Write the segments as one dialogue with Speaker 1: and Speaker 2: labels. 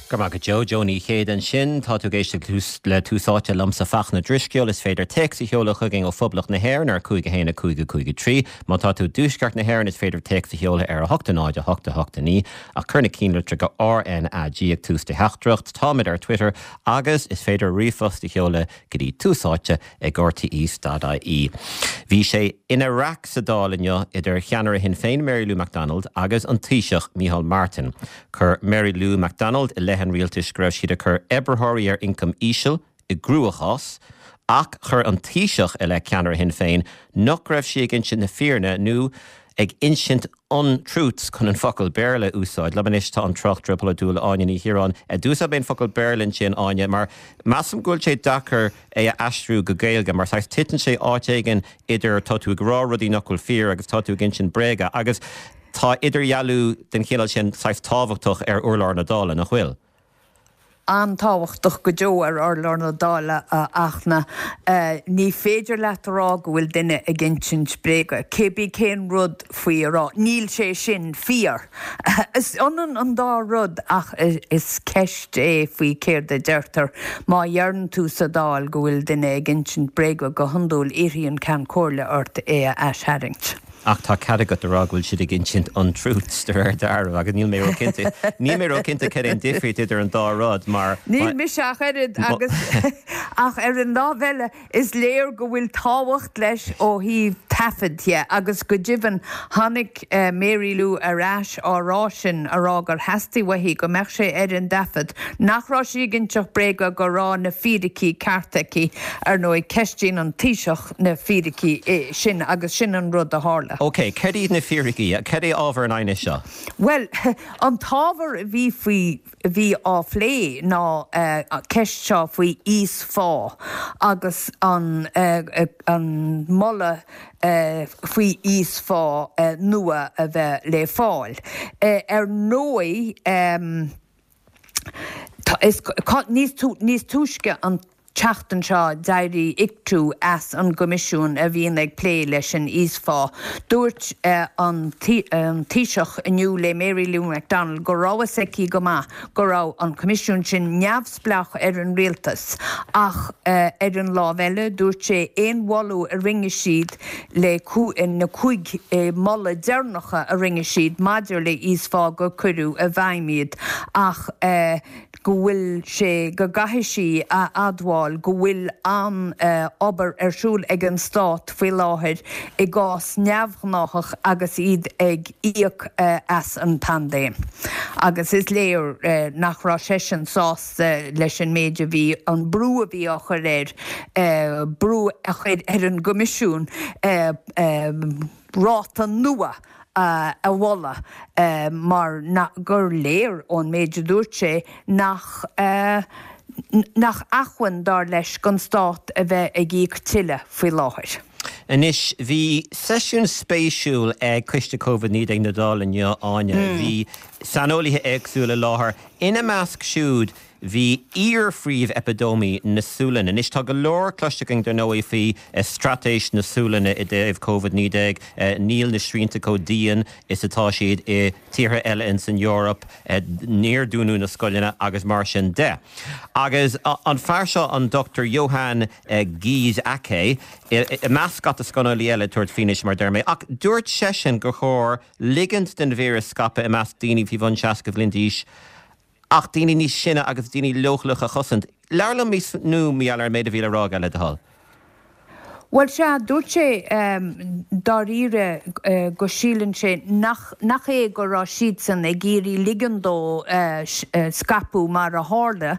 Speaker 1: Go raibh maith agat Joe. Joe Ní Chéide ansin. Tá tú ag éisteacht le Tús Áite liomsa Fachtna Drisceoil. Is féidir téacs a sheoladh chugainn ó Phoblacht na hÉireann ar 5 1 5 5 3. Má tá tú i dTuaisceart na hÉireann is féidir téacs a sheoladh ar 8 0 8 8 9 ach cuir na cinnlitreacha RnaG ag tús do theachtaireacht. Táimid ar Twitter agus is féidir ríomhphost a sheoladh go dtí túsáite ag rte.ie. Bhí sé ina raic sa Dáil inniu idir cheannaire Shinn Féin Mary Lou McDonald agus an Taoiseach Micheál Martin. Chuir Mary Lou McDonald i leith an rialtais go raibh siad ag cur oibritheoirí ar ioncam íseal i gcruachás ach chuir an Taoiseach i leith ceannaire Shinn Féin nach raibh sí ag insint na fírinne nó ag insint untruths chun an focal Béarla a úsáid. Liom anois tá an tráchtaire polaitiúil Áine Ní Chiaráin. D'úsáid mé an focal Béarla ansin, Áine, mar measaim go bhfuil sé deacair é a aistriú go Gaeilge mar saghas titeann sé áit éigin idir tá tú ag rá rudaí nach bhfuil fíor agus tá tú ag insint bréaga agus tá idirdhealú den chineál sin saghas tábhachtach ar urlár na Dála, nach bhfuil?
Speaker 2: An-tábhachtach go deo ar urlár na Dála, a Fhachtna. Ní féidir leat a rá go bhfuil duine ag insint bréaga, cébí cén rud faoi a rá. Níl sé sin fíor. Is ionann an dá rud ach is ceist é faoi céard a deirtear. Má dheireann tú sa Dáil go bhfuil duine ag insint bréaga, go hiondúil iarrfaidh an Ceann Comhairle ort é a aistharraingt.
Speaker 1: Ach tá cead agat a rá go bhfuil siad ag insint untruths de réir dealraimh agus níl mé ró-chinnte, níl mé ró-chinnte cad é an difríocht idir an dá rud mar.
Speaker 2: Níl mise ach oiread agus ach ar an lámh eile is léir go bhfuil tábhacht leis ó thaobh taifead dhe agus go deimhin tháinig Mary Lou ar ais á rá sin, a rá gur theastaigh uaithi go mbeadh sé ar an dtaifead nach raibh sí ag inseacht bréaga go raibh na fíricí cearta aici. Ar ndóigh ceistíonn an Taoiseach na fíricí sin agus sin an rud a tharla.
Speaker 1: OK, céard iad na fíricí? Cad é ábhar an aighnis seo?
Speaker 2: Bhuel, an t-ábhar a bhí faoi, a bhí á phlé ná ceist seo faoi íosphá agus an, an moladh faoi íosphá nua a bheith le fáil. Ar ndóigh, Níos túisce an tseachtain seo d'éirigh Ictu as an gcoimisiún a bhíonn ag plé leis an íosphá. Dúirt an Taoiseach inniu le Mary Lou McDonald go raibh fhios aici go maith go raibh an coimisiún sin neamhspleách ar an rialtas ach ar an lámh eile dúirt sé aon mholadh a rinne siad le na 5 moladh deireanacha a rinne siad maidir le íosphá gur cuireadh i bhfeidhm iad ach go bhfuil sé, go gcaithfidh sí a admháil go bhfuil an-obair ar siúl ag an Stát faoi láthair i gcás neamhghnáthach agus iad ag íoc as an bpaindéim. Agus is léir nach raibh seisean sásta leis an méid a bhí, an brú a bhí á chur air, brú a chur ar an gCoimisiún ráta nua a mholadh mar gur léir ón méid a dúirt sé nach nach acmhainn, dar leis, don Stát a bheith ag íoc tuilleadh faoi láthair.
Speaker 1: Anois, bhí seisiún spéisiúil ag Coiste Covid-19 na Dála inniu, Áine. Bhí saineolaithe éagsúla i láthair, ina measc siúd Bhí iar-phríomh-eipideimií na Sualainne. Anois tá go leor cloiste againn dar ndóigh faoi straitéis na Sualainne i dtaobh Covid-19. Níl na srianta chomh dian is atá siad i tíortha eile ins an Eoraip. Níor dúnadh na scoileanna agus mar sin de. Agus an fear seo, an Dr Johan Giesecke, i measc scata saineolaí eile ag tabhairt fianaise mar a deir mé. Ach dúirt seisean gur chóir ligint den víreas scaipeadh i measc daoine faoi bhun 60 bhliain d'aois ach daoine níos sine agus daoine leochaileacha a chosaint. Labhair liom níos mó mar gheall ar an méid a bhí le rá aige, le do thoil.
Speaker 2: Bhuel, sea, dúirt sé dáiríre go síleann sé nach nach é go raibh siadsan ag iarraidh ligean dó scaipeadh mar a tharla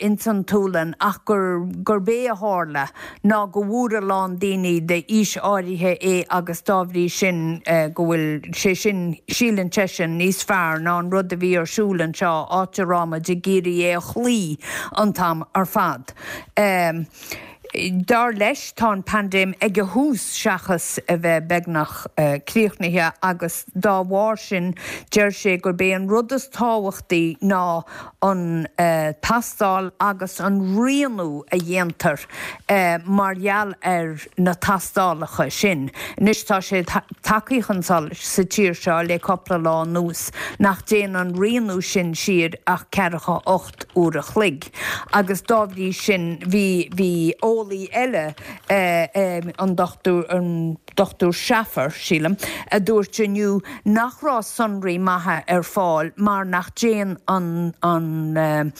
Speaker 2: ins an tSualainn ach gur gurb é a tharla ná go bhfuair a lán daoine d'aois áirithe é agus dá bhrí sin go bhfuil sé sin, síleann seisean, níos fearr ná an rud a bhí ar siúl anseo, áit a raibh muid ag iarraidh é a chloí an t-am ar fad. Dar leis, tá an paindéim ag a thús seachas a bheith beagnach críochnaithe agus dá bharr sin deir sé gurb é an rud is tábhachtaí ná an tástáil agus an rianú a dhéantar mar gheall ar na tástálacha sin. Anois tá sé tagtha chun solais sa tír seo le cúpla lá anuas nach dtéann an rianú sin siar ach ceathracha 8 uair a chloig agus dá bhrí sin bhí bhí eolaí eile an Dr an Dr Schaffar, sílim, a dúirt inniu nach raibh sonraí maithe ar fáil mar nach dtéann an an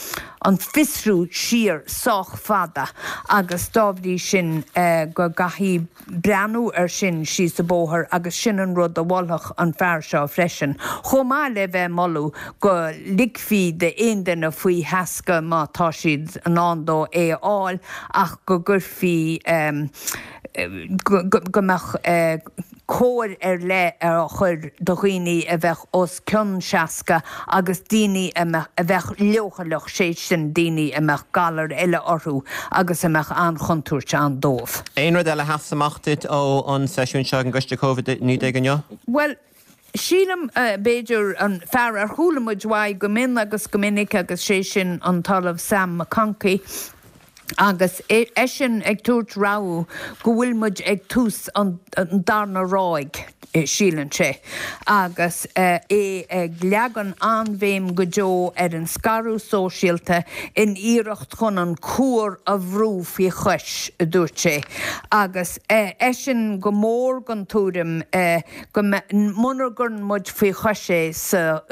Speaker 2: an fiosrú siar sách fada agus dá bhrí sin go gcaithfí breathnú ar sin síos an bóthar agus sin an rud a mholfadh an fear seo freisin, chomh maith le bheith ag moladh go ligfí d'aon duine faoi sheasca má tá siad in ann dó é a fháil ach go gcuirfí go mbeadh cóir ar leith á chur do dhaoine a bheadh os cionn 60 agus daoine a bheadh leochaileach, sé sin daoine a mbeadh galair eile orthu agus a mbeadh an-chontúirt ann dóibh.
Speaker 1: Aon rud eile a sheas amach duit ó an seisiún seo ag an gCoiste Covid-19 inniu?
Speaker 2: Bhuel, sílim, b'fhéidir, an fear ar chuala muid uaidh go mion agus go minic agus sé sin an tOllamh Sam McConkey, Agus eisean ag tabhairt rabhadh go bhfuil muid ag tús an darna ráig, síleann sé, agus é ag leagan an-bhéim go deo ar an scaradh sóisialta in iarracht chun an cuar a bhrú faoi chois, a dúirt sé. Agus eisean go mór den tuairim go muna gcuireann muid faoi chois é sa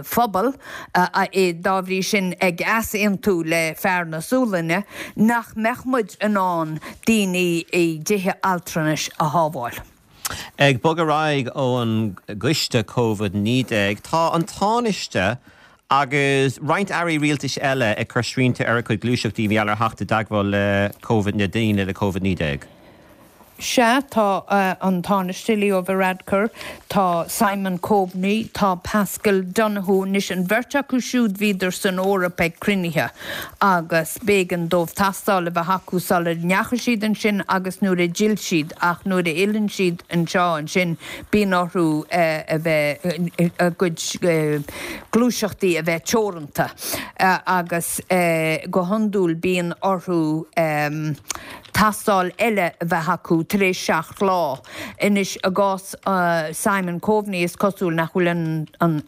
Speaker 2: phobal, é dá bhrí sin ag easaontú le fear na Sualainne nach mbeadh muid in ann daoine i dtithe altranais a shábháil.
Speaker 1: Ag bogadh ar aghaidh ón gcoiste Covid-19, tá an Tánaiste agus roinnt airí rialtais eile ag cur srianta ar a gcuid gluaiseachtaí mar gheall ar theacht i dteagmháil le Covid, le daoine le Covid-19.
Speaker 2: Sea, tá an Tánaiste Leo Varadkar, tá Simon Coveney, tá Paschal Donohoe, anois an bheirt acu siúd bhíodar san Eoraip ag cruinnithe agus b'éigean dóibh tastáil a bheith acu sula ndeachaigh siad ansin agus nuair a d'fhill siad ach nuair a fhilleann siad anseo ansin bíonn orthu a bheith, a gcuid gluaiseachtaí a bheith teoranta agus go hiondúil bíonn orthu. Tástáil eile a bheith acu tar éis 7 lá. Anois, i gcás Simon Coveney, is cosúil nach bhfuil an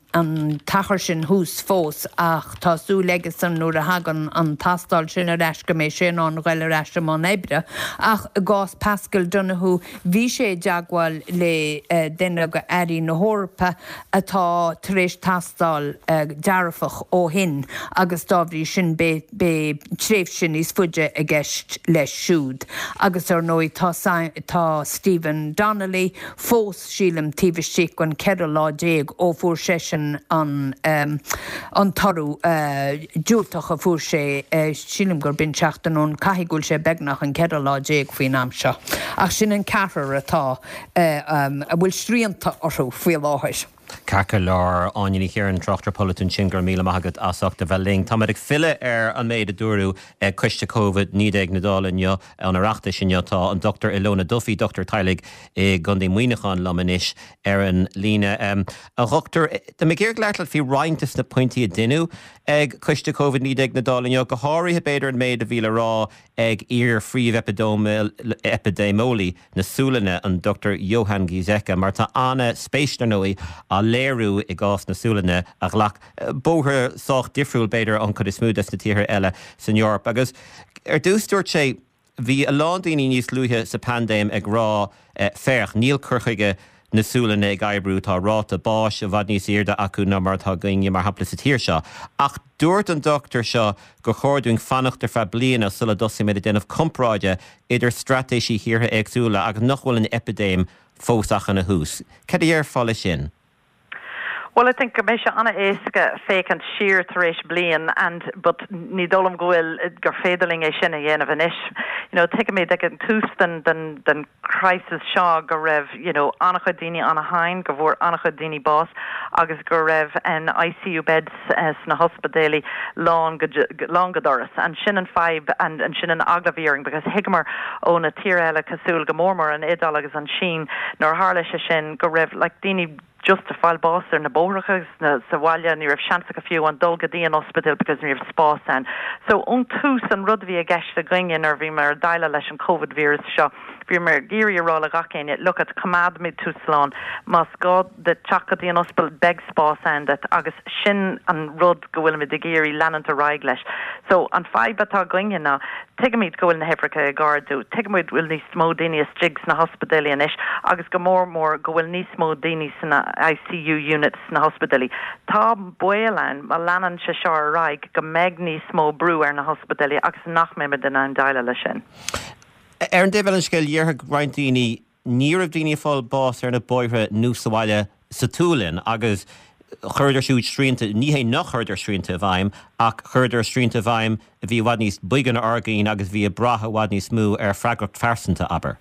Speaker 2: t-achar sin thuas fós ach tá súil aigesan nuair a thagann an tástáil sin ar ais go mbeidh sé in ann a ghoil ar ais i mbun oibre. Ach i gcás Paschal Donohoe, bhí sé i dteagmháil le duine de airí na hEorpa atá tar éis tástáil dearfach ó shin agus dá bhrí sin beidh beidh tréimhse níos faide i gceist leis siúd. Agus ar ndóigh tá tá Stephen Donnelly fós, sílim, taobh istigh den 14 lá ó fuair seisean an an toradh diúltach a fuair sé, sílim gur b'in seachtain ó shin, caithfidh go bhfuil sé beagnach an 14 lá faoin am seo. Ach sin an ceathrar atá a bhfuil srianta orthu faoi láthair.
Speaker 1: Ceart go leor, Áine Ní Chiaráin, tráchtaire polaitiúil ansin, go raibh míle maith agat as ucht a bheith linn. Táimid ag filleadh ar an méid a dúradh ag Coiste Covid-19 na Dála inniu, an Oireachtais inniu. Tá an Dr Ilona Duffy, dochtúir teaghlaigh i gContae Mhuineacháin liom anois ar an líne. A dhochtúir, tá mé ag iarraidh labhairt leat faoi roinnt de na pointí a deineadh ag Coiste Covid-19 na Dála inniu, go háirithe b'fhéidir an méid a bhí le rá ag iar-phríomh-eipidéimeolaí na Sualainne, an Dr Johan Giesecke, mar tá an-spéis, dar ndóigh, á léiriú i gcás na Sualainne, a ghlac bóthar sách difriúil, b'fhéidir, ón chuid is mó des na tíortha eile san Eoraip. Agus ar dtús dúirt sé, bhí a lán daoine níos luaithe sa bpaindéim ag rá, féach, níl cur chuige na Sualainne ag oibriú, tá ráta báis i bhfad níos airde acu ná mar atá againne, mar shampla, sa tír seo. Ach dúirt an dochtúir seo gur chóir dúinn fanacht ar feadh bliana sula dtosaímid ag déanamh comparáide idir straitéisí thíortha éagsúla agus nach bhfuil an eipidéim fós ach ina thús. Cad a dhéarfá leis sin?
Speaker 3: Bhuel I think go mbeidh sé an-éasca féachaint siar tar éis bliain and but ní dóigh liom go bhfuil, gur féidir linn é sin a dhéanamh anois. You know tuigimid ag an tús den, den, den crisis seo go raibh you know an-chuid daoine an-tinn, go bhfuair an-chuid daoine bás agus go raibh an ICU beds sna hospidéalaí lán go, lán go doras and sin an fadhb and and sin an eagla a bhí orainn because thuigeamar ó na tíortha eile cosúil go mór mór an Iodáil agus an tSín nuair a tharla sé sin go raibh like daoine just ag fáil bás ar na bóithreacha agus sa bhaile, ní raibh seans acu fiú amháin dul go dtí an ospidéal because ní raibh spás ann. So ón tús an rud a bhí i gceist againne nuair a bhíomar ag déileáil leis an Covid virus seo, bhíomar ag iarraidh a rá le gach éinne, look at, coimeádfaimid tú slán, más gá duit teacht go dtí an ospidéal beidh spás ann duit agus sin an rud go bhfuilimid ag iarraidh leanúint ar aghaidh leis. So an fadhb atá againne ná tuigimid go bhfuil na huimhreacha ag ardú, tuigimid go bhfuil níos mó daoine istigh sna hospidéalaí anois agus go mór mór go bhfuil níos mó daoine sna ICU units sna hospidéalaí. Tá baol ann má leanann sé seo ar aghaidh go mbeidh níos mó brú ar na hospidéalaí agus nach mbeimid in ann déileáil leis sin.
Speaker 1: Ar an dtaobh eile den scéal, déarfadh roinnt daoine, ní raibh daoine ag fáil bás ar na bóithre nó sa bhaile sa tSualainn agus chuireadar siúd srianta, ní hé nach chuireadar srianta i bhfeidhm ach chuireadar srianta i bhfeidhm a bhí i bhfad níos boige ná ár gcinn agus bhí ag brath i bhfad níos mó ar freagracht phearsanta, abair.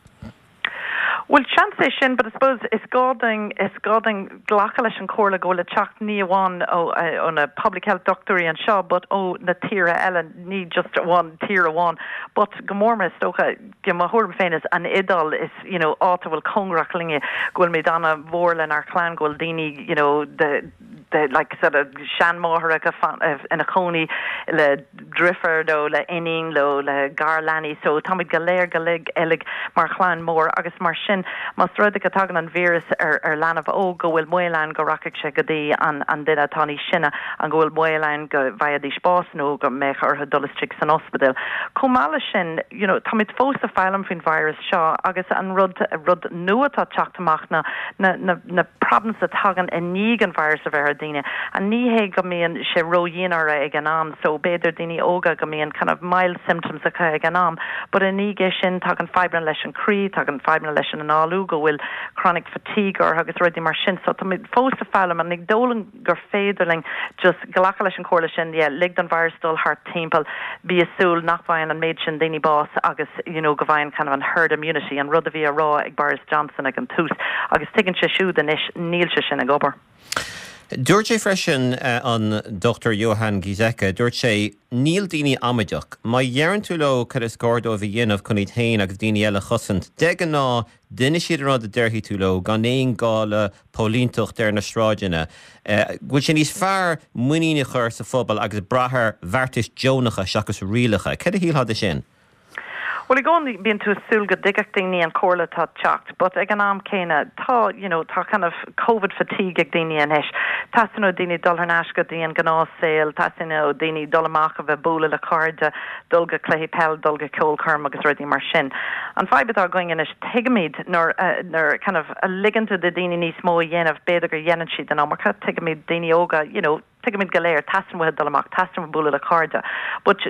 Speaker 3: Bhuel, seans é sin, but I suppose is gá dúinn, is gá dúinn glacadh leis an chomhairle go bhfuil ag teacht ní amháin ó, ó na public health dochtúirí anseo but ó na tíortha eile, ní just amháin tír amháin but go mór mór is dócha, mo thuairim féin is an Iodáil is, you know, áit a bhfuil cóngarach linne, go bhfuilimid an-mhór lenár chlann, go bhfuil daoine, you know, de, de like sort of seanmháithreacha ina cónaí le driofúr nó le iníon nó le garleanaí so táimid go léir go uilig mar chlann mór agus mar sin más rud é go dtagann an víreas ar ar leanbh óg go bhfuil baol ann go rachaidh sé go dtí an an duine atá níos sine an go bhfuil baol ann go bhfaighidís bás nó go mbeadh orthu dul istigh san ospidéal. Chomh maith leis sin you know táimid fós ag foghlaim faoin virus seo agus an rud rud nua atá ag teacht amach ná na na na problems a tagann i ndiaidh an virus a bheith ar daoine and ní hé go mbíonn sé ródhian orthu ag an am so b'fhéidir daoine óga go mbíonn kind of mild symptoms acu ag an am but i ndiaidh é sin tagann fadhbanna leis an croí, tagann fadhbanna leis an análú, go bhfuil chronic fatigue orthu agus rudaí mar sin so táimid fós ag foghlaim and ní dóigh liom gur féidir linn just glacadh leis an chomhairle sin, yeah, lig don virus dul thart timpeall, bí ag súil nach bhfaigheann an méid sin daoine bás agus you know go bhfaigheann kind of an herd immunity, an rud a bhí á rá ag Boris Johnson ag an tús agus tuigeann sé siúd anois níl sé sin ag obair.
Speaker 1: Dúirt sé freisin, an Dr Johan Giesecke, dúirt sé, níl daoine amaideach. Má dheireann tú leo cad is gá dóibh a dhéanamh chun iad féin agus daoine eile a chosaint, de ghnáth déanfaidh siad an rud a déarfaidh tú leo gan aon gá le póilínteacht ar na sráideanna, go bhfuil sé níos fearr muinín a chur sa phobal agus brath ar bheartais deonacha seachas rialacha. Céard a shílfeá de sin?
Speaker 3: Bhuel, i gcónaí bíonn tú ag súil go dtuigfeadh daoine an chomhairle atá ag teacht, but ag an am céanna tá, you know, tá kind of Covid fatigue ag daoine anois. Teastaíonn ó daoine dul thar n-ais go dtí an gnáthshaol, teastaíonn ó daoine dul amach a bheith bualadh le cairde, dul go cluichí peil, dul go ceolchoirm agus rudaí mar sin. An fadhb atá againn anois, tuigimid nuair a, nuair kind of a ligeann tú do daoine níos mó a dhéanamh, b'fhéidir go dhéanann siad an iomarca, tuigimid daoine óga, you know, tuigimid go léir, teastaíonn uathu dul amach, teastaíonn uathu bualadh le cairde. But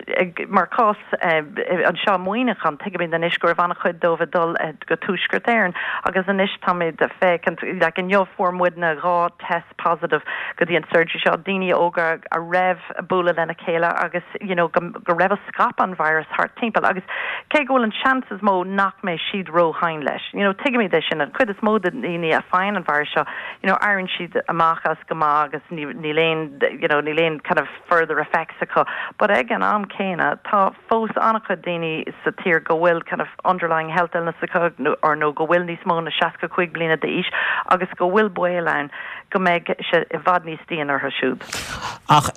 Speaker 3: mar cás anseo i Muineachán, tuigimid anois go raibh an-chuid dóibh ag dul go Tuaisceart Éireann agus anois táimid ag féachaint, like inniu fuair muidne 2 test positive go dtí an surgery seo, daoine óga a raibh ag bualadh lena chéile agus you know go go raibh ag scaipeadh an virus thart timpeall agus cé go bhfuil an seans is mó nach mbeidh siad ró-thinn leis you know tuigimid é sin an chuid is mó de dhaoine a faigheann an virus seo you know éiríonn siad amach as go maith agus ní níl aon you know níl aon kind of further effects acu but ag an am céanna tá fós an-chuid daoine sa tír go bhfuil kind of underlying health illness acu nó or nó go bhfuil níos mó na 65 bliana d'aois agus go bhfuil baol ann go mbeidh sé i bhfad níos dian orthu siúd.
Speaker 1: Ach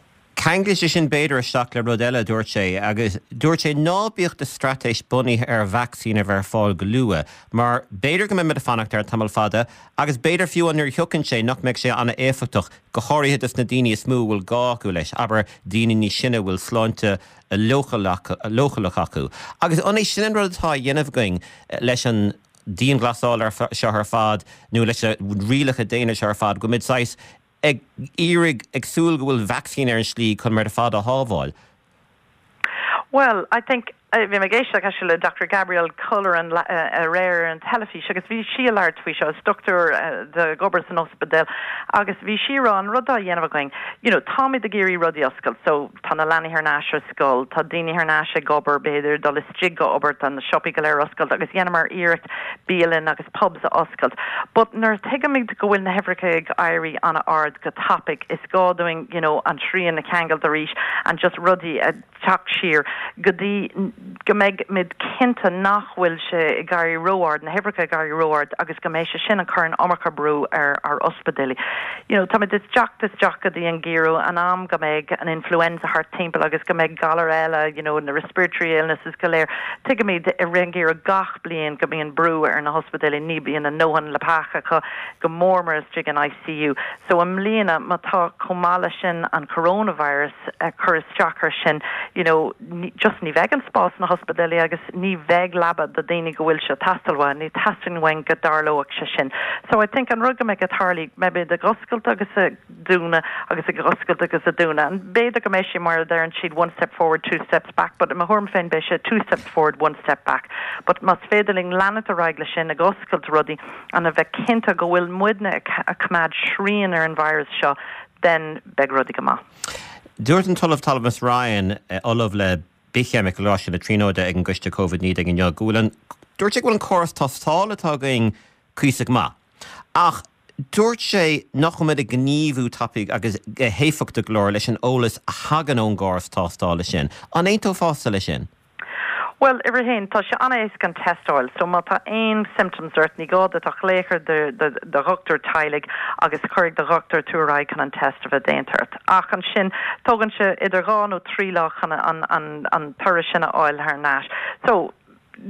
Speaker 1: ceanglaíonn sé sin b'fhéidir isteach le rud eile a dúirt sé, agus dúirt sé ná bíodh do straitéis bunaithe ar vacsaín a bheith ar fáil go luath, mar b'fhéidir go mbeimid ag fanacht air tamall fada, agus b'fhéidir fiú nuair a thiocfaidh sé nach mbeidh sé an-éifeachtach, go háirithe dos na daoine is mó a bhfuil gá acu leis, abair daoine níos sine a bhfuil sláinte leochaileach acu. Agus an é sin an rud atá á dhéanamh againn leis an dianghlasáil seo ar fad nó leis na rialacha déine seo ar fad, go bhfuilimid saghas ag iarraidh, ag súil go bhfuil vacsaín ar an slí chun muid ar fad a shábháil?
Speaker 3: Bhuel, I think. Bhí mé ag éisteacht actually le Dr Gabrielle Colleran aréir ar an teilifís agus bhí sí ag labhairt faoi seo, is dochtúir ag obair san ospidéal agus bhí sí ag rá an rud á dhéanamh againn, you know, táimid ag iarraidh rudaí a oscailt so tá na leanaí thar n-ais ar scoil, tá daoine thar n-ais ag obair, b'fhéidir dul istigh go obair, tá na siopaí go léir oscailte agus dhéanamar iarracht bialann agus pubs a oscailt. But nuair a tuigimid go bhfuil na huimhreacha ag éirí an-ard go tapaidh is gá dúinn, you know, an srian a cheangailt arís and just rudaí a teacht siar go dtí go mbeidh muid cinnte nach bhfuil sé ag éirí ró-ard, na huimhreacha ag éirí ró-ard agus go mbeidh sé sin ag cur an iomarca brú ar ár ospidéilí. You know, táimid ag teacht isteach go dtí an geimhreadh, an am go mbeidh an influenza thart timpeall agus go mbeidh galair eile, you know, na respiratory illnesses go léir. Tuigimid i rith an gheimhridh gach bliain go mbíonn brú ar na hospidéilí, ní bhíonn a ndóthain leapacha acu, go mór mór istigh in ICU. So i mbliana, má tá chomh maith leis sin an coronavirus, ag cur isteach ar sin, you know, just ní bheidh an spás sna hospidéilí agus ní bheidh leaba do daoine go bhfuil sé ag teastáil uathu, ní theastaíonn uainn go dtarlóidh sé sin. So I think an rud go mbeidh ag tarlú, beimid ag oscailt agus ag dúnadh agus ag oscailt agus ag dúnadh. And b'fhéidir go mbeidh sé mar a deireann siad one step forward, two steps back, but i mo thuairim féin beidh sé two steps forward, one step back. But más féidir linn leanacht ar aghaidh leis sin, ag oscailt rudaí and a bheith cinnte go bhfuil muidne ag coimeád srian ar an virus seo, then beidh rudaí go maith.
Speaker 1: Dúirt an tOllamh Thomas Ryan, Ollamh le Bithcheimic i gColáiste na Tríonóide ag an gCoiste Covid-19 inniu, go bhfuil an, dúirt sé go bhfuil an córas tástála atá againn cuíosach maith. Ach dúirt sé nach bhfuil muid ag gníomhú tapaidh agus héifeachtach go leor leis an eolas a thagann ón gcóras tástála sin. An aontófása leis sin?
Speaker 3: Bhuel, uimhir a haon, tá sé an-éasca an test a fháil, so má tá aon symptoms ort, ní gá duit ach glaoch ar do do dhochtúir teaghlaigh agus cuirfidh do dhochtúir tú ar aghaidh chun an test a bheith déanta ort. Ach ansin, tógann sé idir dhá nó trí lá chun an an an toradh sin a fháil thar n-ais. So,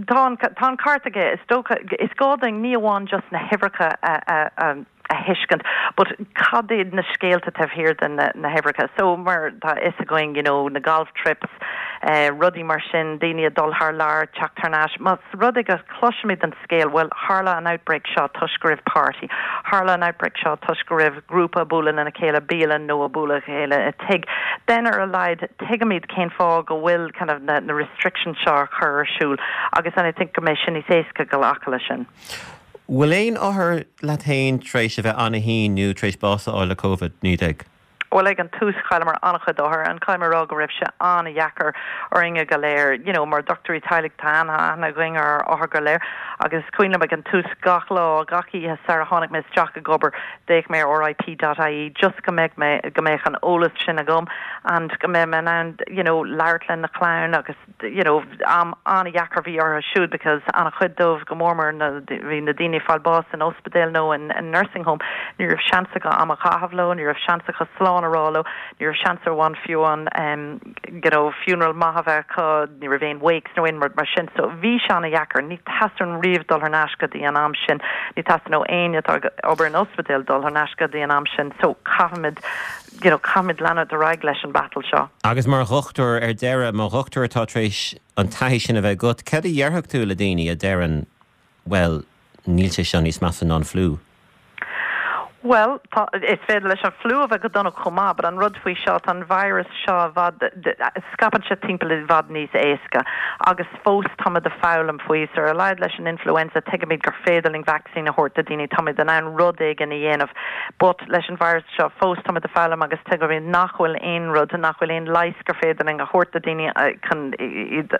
Speaker 3: tá an tá an ceart aige, is dócha, is gá dúinn ní amháin just na huimhreacha a a a a thuiscint but cad iad na scéalta taobh thiar de na huimhreacha so mar tá a fhios againn you know na golf trips eh rudaí mar sin daoine ag dul thar lear teacht thar n-ais más rud é go cloisimid an scéal bhuel tharla an outbreak seo toisc go raibh party tharla an outbreak seo toisc go raibh grúpa ag bualadh lena chéile bialann nó ag bualadh le chéile i tigh then ar a laghad tuigimid cén fáth go bhfuil kind of na na restrictions seo á chur ar siúl agus and I think go mbeidh sin níos éasca glacadh leis sin.
Speaker 1: Bhfuil aon othar leat féin tar éis a bheith an-tinn nó tar éis bás a fháil le Covid-19?
Speaker 3: Bhuel, ag an tús chailleamar an-chuid othar and caithfidh mé a rá go raibh sé an-dheacair orainne go léir. You know, mar dochtúirí teaghlaigh tá an-aithne againn ar ár othair go léir agus is cuimhin liom ag an tús gach lá, gach oíche sara tháinig mé isteach ag obair d'fhéach mé ar RIP.ie just go mbeadh mé, go mbeadh an eolas sin agam and go mbeadh mé in ann, you know, labhairt lena chlann agus you know, am an-dheacair a bhí orthu siúd because an-chuid dóibh, go mór mór na, bhí na daoine ag fáil bás in ospidéal nó in, in nursing home, ní raibh seans acu am a chaitheamh leo, ní raibh seans acu slán a rá leo, ní raibh seans ar amháin fiú an em, you know, funeral maith a bheith acu, ní raibh aon wakes nó aon rud mar sin. So bhí sé an-dheacair. Ní theastaíonn riamh dul thar n-ais go dtí an am sin. Ní theastaíonn ó éinne atá ag obair in ospidéal dul thar n-ais go dtí an am sin. So caithfimid you know, caithfimid leanúint ar aghaidh leis an battle seo.
Speaker 1: Agus mar dhochtúir, ar deireadh, mar dhochtúir atá tar éis an taithí sin a bheith agat, cad a dhéarfadh tú le daoine a deireann, bhuel, níl sé seo níos measa ná an fliú?
Speaker 3: Bhuel, tá, is féidir leis an fliú a bheith go dona chomh maith, but an rud faoi seo, tá an virus seo i bhfad, scaipeann sé timpeall i bhfad níos éasca agus fós táimid ag foghlaim faoi, so ar a laghad leis an influenza tuigimid gur féidir linn vaccine a thabhairt do daoine, táimid in ann rud éigin a dhéanamh but leis an virus seo fós táimid ag foghlaim agus tuigimid nach bhfuil aon rud, nach bhfuil aon leigheas gur féidir linn a thabhairt do daoine chun iad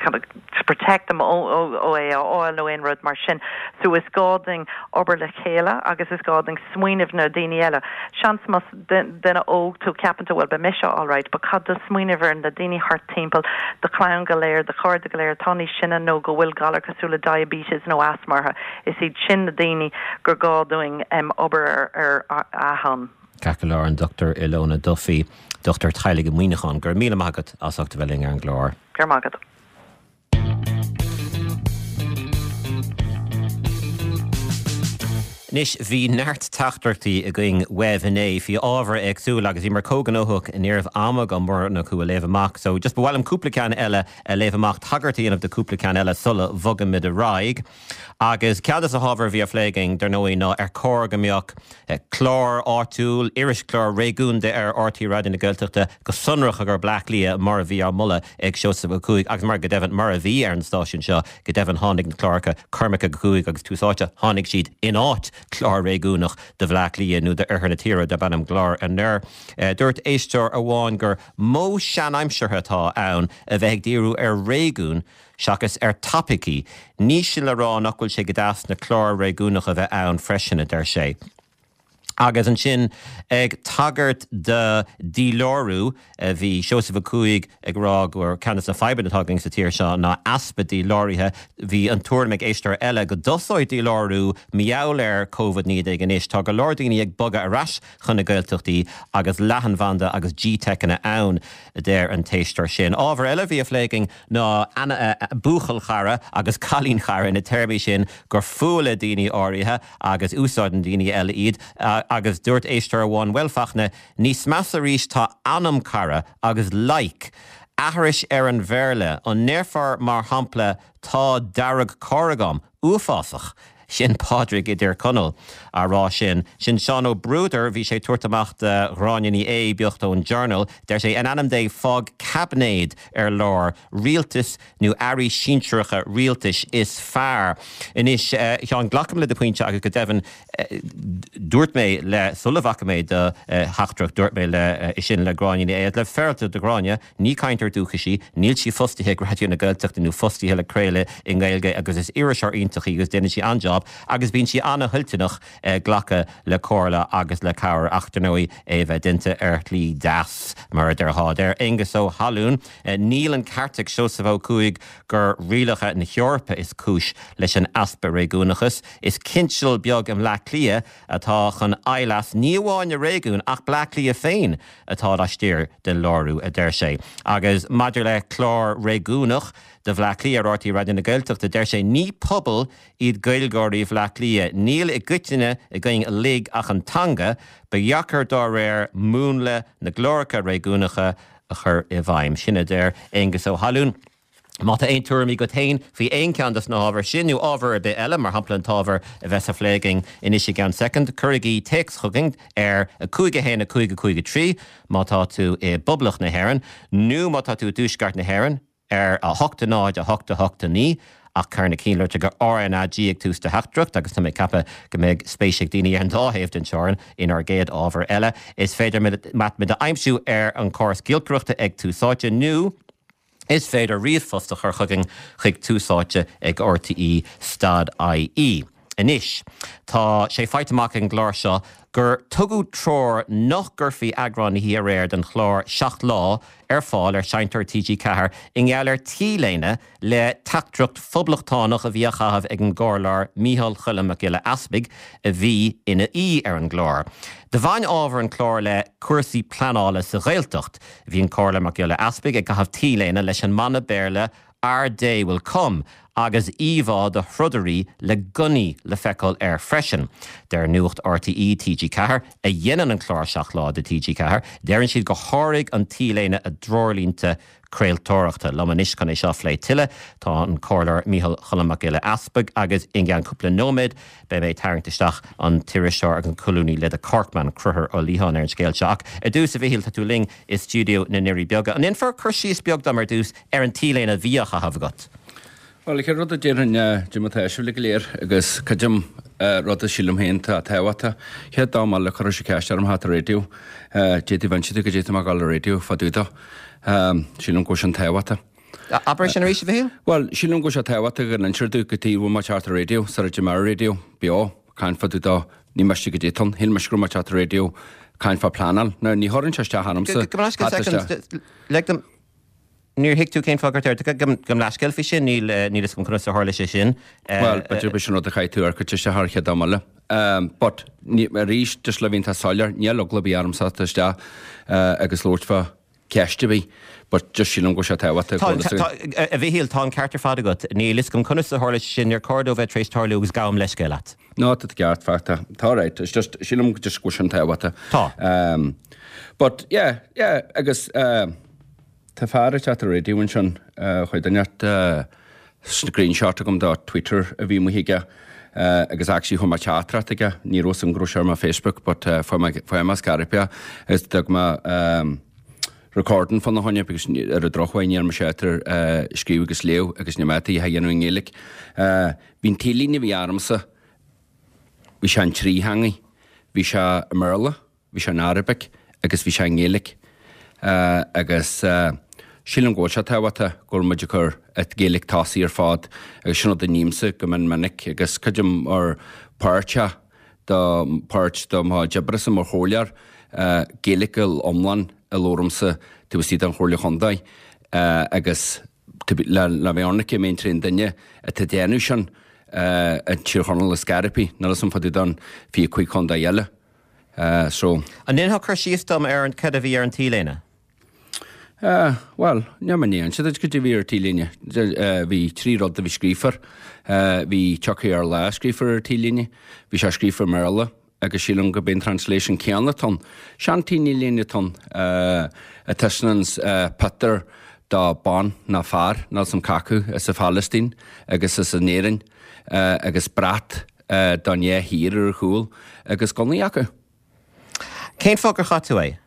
Speaker 3: chun to protect them ó ó é a fháil nó aon rud mar sin. So is gá dúinn obair le chéile agus is gá dúinn smaoineamh na daoine eile. Seans más duine óg tú, ceapann tú, bhuel, beidh mise alright, but caithfidh tú smaoineamh ar na daoine thart timpeall, do chlann go léir, do chairde go léir atá níos sine nó go bhfuil galar cosúil le diabetes nó asthma orthu. Is iad sin na daoine gur gá dúinn obair ar a shon.
Speaker 1: Ceart go leor, an Dr Ilona Duffy, dochtúir teaghlaigh i Muineachán, go raibh míle maith agat as ucht a bheith linn ar an gclár.
Speaker 3: Go raibh maith agat.
Speaker 1: Anois, bhí neart teachtaireachtaí againn uaibh inné faoi ábhair éagsúla agus bhíomar chomh gnóthach ní raibh am agam mórán acu a léamh amach so just ba mhaith liom cúpla ceann eile a léamh amach, tagairt a dhéanamh do cúpla ceann eile sula bhogaimid ar aghaidh. Agus ceann de na hábhair a bhí á phlé againn, dar ndóigh, ná ar chóir go mbeadh clár áitiúil, irischlár réigiúnda ar RTÉ Raidió na Gaeltachta go sonrach i gcomhair Bleá Cliath mar a bhí á moladh ag Seosamh Ó Cuaig agus mar go deimhin mar a bhí ar an stáisiún seo. Go deimhin tháinig na cláracha Cormac ag a Cúig agus Tús Áite, tháinig siad in áit clár réigiúnach do Bhleá Cliath nó d'oirthear na tíre darb ainm Glór Anoir. Dúirt éisteoir amháin gur modh seanaimseartha atá ann a bheith ag díriú ar réigiún seachas ar topaicí. Ní sin le rá nach bhfuil sé go deas na cláir réigiúnacha a bheith ann freisin, a deir sé. Agus ansin ag tagairt do dhílárú, bhí Seosamh Ó Cuaig ag rá gur ceann de na fadhbanna atá againn sa tír seo ná easpa díláraithe. Bhí an tuairim ag éisteoir eile go dtosóidh dílárú mar gheall ar Covid-19 anois. Tá go leor daoine ag bogadh ar ais chun na Gaeltachtaí agus leathanbhanda agus GTeiceanna ann, a deir an t-éisteoir sin. Ábhar eile a bhí á phlé againn ná buachaill chara agus cailín chara, na téarmaí sin gur fuath le daoine áirithe agus úsáideann daoine eile iad agus dúirt éisteoir amháin, bhuel Fachtna, níos measa arís tá anam cara agus like, aithris ar an Bhéarla, an ndéarfá mar shampla tá dearg cara agam? Uafásach! Sin Pádraig i dTír Chonaill á rá sin. Sin Seán Ó Bruadair, bhí sé ag tabhairt amach do Ghráinne Ní Aodha beocht ón Journal. Deir sé, in ainm Dé, fág caibinéad ar lár, rialtas nó airí sinsearacha rialtais is fearr. Anois, a Sheáin, glacaim le do phointe agus go deimhin dúirt mé le, sula bhfaca mé do theachtaireacht, dúirt mé le, sin le Gráinne Ní Aodha, le féaráilte do Ghráinne, ní cainteoir dúchais í, níl sí fostaithe ag Raidió na Gaeltachta nó fostaithe le craoladh i nGaeilge agus is iriseoir iontach í agus déanann sí an-jab agus bíonn sí an-thoilteanach glacadh le comhairle agus le cabhair ach, dar ndóigh, é a bheith déanta ar shlí deas, mar a déarfá. Deir Aengus Ó hAlúin, Níl an ceart ag Seosamh Ó Cuaig gur rialacha na hEorpa is cúis leis an easpa réigiúnachais. Is cinseal beag i mBleá Cliath atá chun éirí as, ní amháin na réigiúin ach Bleá Cliath féin atá laistiar den lárú, a deir sé. Agus maidir le clár réigiúnach do Bhleá Cliath ar RTÉ Raidió na Gaeltachta, deir sé, Ní pobal iad Gaeilgeoirí Bhleá Cliath. Níl i gcoitinne againn uilig ach an teanga. Ba dheacair dá réir múnla na gcláracha réigiúnacha a chur i bhfeidhm. Sin a deir Aengus Ó hAlúin. Má tá aon tuairimí agat féin faoi aon cheann dos na hábhair sin nó ábhar ar bith eile, mar shampla an t-ábhar a bheas á phlé againn anois i gceann soicind, cuirigí téacs chugainn ar 5 1 5 5 3 má tá tú i bPoblacht na hÉireann nó má tá tú i dTuaisceart na hÉireann ar 8 0 8 8 9 ach cuir na cinnlitreacha RnaG ag tús do theachtaireacht agus tá mé ag ceapadh go mbeidh spéis ag daoine ar an dá thaobh den teorainn inár gcéad ábhar eile. Is féidir muid a aimsiú ar an chóras giolcaireachta ag Tús Áite nó is féidir ríomhphost a chur chugainn chuig túsáite ag rte stad ie. Anois, tá sé faighte amach ag an gclár seo gur tugadh treoir nach gcuirfí eagrán na hoíche aréir den chlár Seacht Lá ar fáil ar Sheinnteoir TG4 i ngeall ar T-léine le teachtaireacht phoblachtánach a bhí á chaitheamh ag an gComhairleoir Micheál Choilm Mac Giolla Easpaig a bhí ina aoi ar an gclár. Do bhain ábhar an chláir le cúrsaí pleanála sa Ghaeltacht. Bhí an Comhairleoir Mac Giolla Easpaig ag caitheamh T-léine leis an mana Béarla Our Day Will Come agus íomhá de throdairí le gunnaí le feiceáil air freisin. Deir Nuacht RTÉ TG4, a dhéanann an clár 7 Lá do TG4, deireann siad gur sháraigh an T-léine a dtreoirlínte craoltóireachta. Liom anois chun é seo a phlé tuilleadh tá an Comhairleoir Micheál Choilm Mac Giolla Easpaig agus i gceann cúpla nóiméad beidh mé ag tarraingt isteach an t-iriseoir agus an colúnaí le The Corkman, Conchúr Ó Liatháin ar an scéal seo. Ach ar dtús, a Mhichíl, tá tú linn i stiúideo na nDoirí Beaga. An ndéanfar cur síos beag dom ar dtús ar an T-léine a bhí á chaitheamh agat?
Speaker 4: Bhuel, an chéad rud a déarfainn ná cad é mar atá sibh uilig go léir agus creidim rud a sílim féin atá tábhachtach. Chéad dá mba le cuirfeadh sé ceist orm theacht ar raidió, d'fhéadfaí bheinn siad go dtéadh mé ag dul ar raidió fá dtaobh dó. Sílim go bhfuil sin tábhachtach.
Speaker 1: Abair sin arís, a Mhichíl.
Speaker 4: Bhuel, sílim go bhfuil sé tábhachtach go n-insear domh cad chuige a bhfuil mé ag teacht ar raidió, sara dtéim ar raidió, beo, caint fá dtaobh dó, ní miste go dtéadh ann, shíl mise go raibh mé ag teacht ar raidió caint fá pleanáil. Now, ní chuireann sé isteach ormsa
Speaker 1: Gabh mo leithscéal second, lig dom, níor thuig tú cén fáth gur tar, gabh mo leithscéal faoi sin, níl, níl fhios agam conas a tharla sé sin.
Speaker 4: Bhuel, b'fhéidir b'shin rud a chaith tú ar cuid isteach ar chéad am eile. But, ní, arís, just le bheith iontach soiléir, níl eagla ar bith ormsa teacht isteach agus labhairt fá. ceist ar bith but just sílim go bhfuil sé tábhachtach
Speaker 1: go bhfuil Tá, tá, a Mhichíl, tá an ceart ar fad agat. Níl fhios agam conas a tharla sé sin, níor chóir dó bheith tar éis tarlú agus gabhaim leithscéal leat.
Speaker 4: No, tá tú ceart, Fachtna. Tá right. It's just, sílim just go bhfuil sin tábhachtach.
Speaker 1: Tá.
Speaker 4: Um, but yeah, yeah, agus uh, tá fear ag teacht ar radio ansin, uh, chuir duine uh, screenshot agam do Twitter a bhí amuigh aige uh, agus actually chuir mé teachtaireacht aige, ní raibh fhios agam go raibh sé ar mo Facebook, but uh, fuair mé fuair mé scairpe agus d'fhág mé um, recording fána choinne because ar an drochuair níl mise ábalta uh, scríobh agus léamh agus níl mé ábalta é a dhéanamh i nGaeilge. Uh, Bhí an t-léine a bhí ormsa, bhí sé in trí theangaidh. Bhí sé i mBéarla, bhí sé in Arabic agus bhí sé i nGaeilge. Agus sílim go bhfuil sé tábhachtach go bhfuil muid ag cur an Ghaeilge tosaigh ar fad agus sin rud a nímse go mion minic agus creidim mar páirteach do páirt do mo chuid oibrese mar chomhairleoir Gaeilge iomlán a labhraímse taobh istigh den Chomhairle Chontae agus Le bheith ionraic mé an t-aon duine atá ag déanamh sin i dTír Chonaill is Scariff, níl fhios a'm fá dtaobh don 25 contae eile. So.
Speaker 1: An ndéanfá cur síos dom ar an cad a bhí ar an T-léine?
Speaker 4: Bhuel, níl mé in ann inse duit cad a bhí ar an T-léine. Bhí trí rud a bhí scríofa air. Bhí Tiocfaidh ár Lá scríofa ar an T-léine. Bhí sé scríofa i mBéarla. agus sílim go b'é an translation céanna atá ann. Sean T-léine atá ann, a taispeánanns pictiúr do bean ná fear, níl 's a'm c'acu, as an Phalaistín agus as an Éirinn agus brat don dhá thír ar a chúl agus gunnaí acu.
Speaker 1: Cén fáth gur chaith tú é?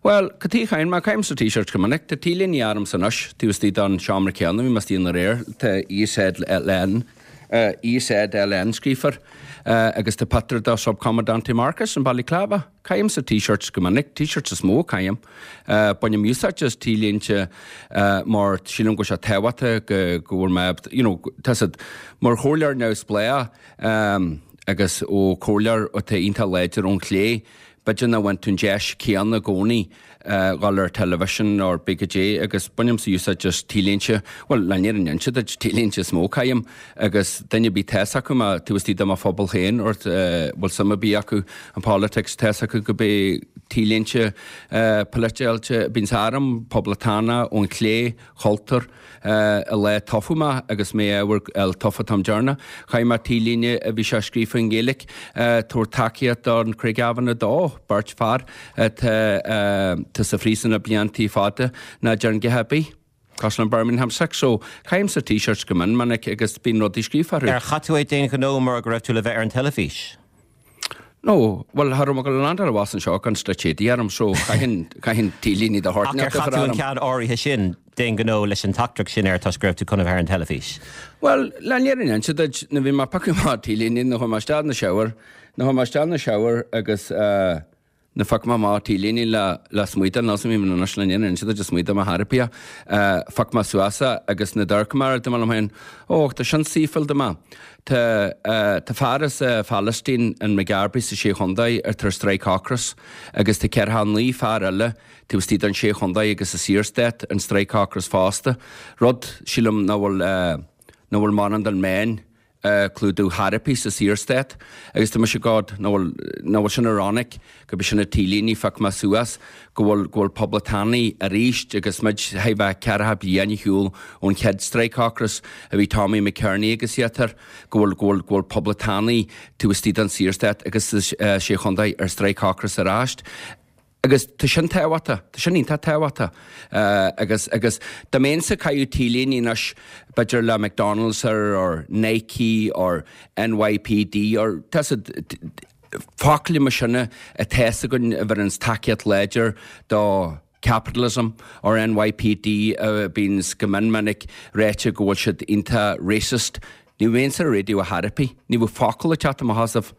Speaker 4: Bhuel, cad chuige a chaithim é? Caithimse T-shirts go minic. Tá T-léine ormsa anois, taobh istigh den seomra céanna, bhí mé istigh ann aréir, tá EZLN, EZLN scríofa air, agus tá pictiúr de Subcomandante Marcos in balaclava. Caithimse T-shirts go minic, T-shirts is mó a chaithim. Bainim úsáid as T-léinte mar sílim go bhfuil sé tábhachtach go bhfuil mé, you know, tá siad mar chomhairleoir neamhspleách agus ó comhairleoir atá iontach láidir ón chlé, B'fhéidir nach bhfaigheann tú an deis céanna i gcónaí dhul ar television or big goidé agus bainimse úsáid as T-léinte, bhuel, le an fhírinne a inse duit, T-léinte is mó a chaithim agus duine ar bith tá's acu mé taobh istigh de mo phobal féin or bhfuil suim ar bith acu in politics, tá's acu go b'é T-léinte polaitiúla a bíonns orm, poblachtánach ón chlé, chultúr. I lá tofa mé agus mé ábhar el tofa Tom Dearna. Chaith mé T-léine a bhí sé scríofa i nGaeilge tabhairt tacaíocht don Craigavon 2, beirt fear atá sa phríosún le bliantaí fada ná deireann a dhath ar bith. Cosúil le Birmingham 6 so caithimse T-shirts go mion minic agus bíonn rudaí scríofa orthu.
Speaker 1: Ar chaith tú é d'aon ghnó mar go raibh tú le bheith ar an teilifís?
Speaker 4: No, bhuel, cha raibh mé ag dul a landáil abhus anseo gan stoite éadaí orm, so chaithfinn, chaithfinn T-léine de shórt
Speaker 1: Ach ar chaith tú an ceann áirithe sin d'aon ghnó leis an teachtaireacht sin air toisc go raibh tú chun a bheith ar an teilifís?
Speaker 4: Bhuel, le an fhírinne a inse duit, nuair bhí mé ag piocadh amach T-léine, nuair chuaigh mé isteach 'na shower, nuair chuaigh mé isteach 'na shower agus eh, nuair phioc mé amach T-léine le, le smaoideadh, níl 's a'm anois le an fhírinne a inse duit, a smaoideadh mo therapia, eh, phioc mé suas é agus nuair d'amharc mé air, dúirt mé liom féin, Ó, tá sin saoithiúil do mé. Tá tá fear as Phalaistín in Maghaberry sa Sé Chontae atá ar strike ocrais agus tá 49 fear eile taobh istigh den Sé Chontae agus sa Saorstát an strike ocrais fosta, rud, sílim, nach bhfuil nach bhfuil mórán den meáin ag clúdú chor ar bith sa Saorstát agus tá mise God nach bhfuil nach bhfuil sin ironic gurb é sin an T-léine a phioc mé suas go bhfuil go bhfuil poblachtánaigh arís agus muid chóir a bheith ceathracha bliain ar shiúl ón chéad strike ocrais a bhí Tommy McKearney agus iad air, go bhfuil go bhfuil go bhfuil poblachtánaigh taobh istigh den Saorstát agus sa Sé Chontae ar strike ocrais arís. Agus tá sin tábhachtach, tá sin iontach tábhachtach. Agus agus dá mbeinnse ag caitheamh T-léine anois b'fhéidir le McDonald's air or Nike or NYPD or tá siad Focail mar sin atá 's againn a bheireanns tacaíocht láidir do capitalism or NYPD a bíonns go mion minic ráite go bhfuil siad iontach racist. Ní bheinnse ar raidió a chor ar bith. Ní bheadh focal ag teacht amach asaibh.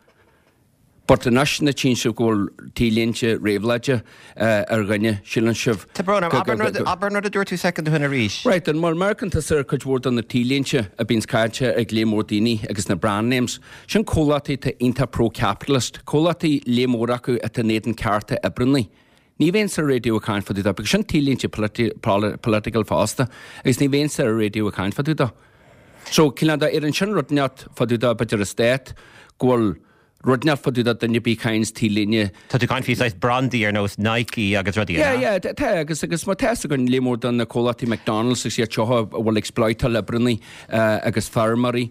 Speaker 4: But anois nuair tchíonn sibh go bhfuil T-léinte réabhlóide ar dhuine, síleann sibh
Speaker 1: Tá brón orm. Abair an rud, abair an rud a dúirt tú soicind ó shin arís.
Speaker 4: Right, an bhfuil amharcann tusa ar cuid mhór de na T-léinte a bíonns caite ag lear mór daoine agus na brand names, sin comhlachtaí atá iontach pro-capitalist, comhlachtaí lear mór acu atá in éadan cearta oibreannaí. Ní bheinnse ar raidió ag caint fá dtaobh dó, because sin T-léinte political fosta, agus ní bheinnse ar raidió ag caint fá dtaobh dó. So, cineál de, ar an sin rud inteacht fá dtaobh dó, b'fhéidir an stát, go bhfuil. Rud inteacht fá dtaobh de duine ar bith a chaitheanns T-léine.
Speaker 1: Tá tú ag caint faoi saghas brandaí ar nós Nike agus rudaí, an
Speaker 4: ea? Yeah, yeah, tá, agus, agus má tá fhios againn léar mór de na comhlachtaí McDonald's agus iad seo a bhfuil exploitáil oibreannaí agus feirmeoirí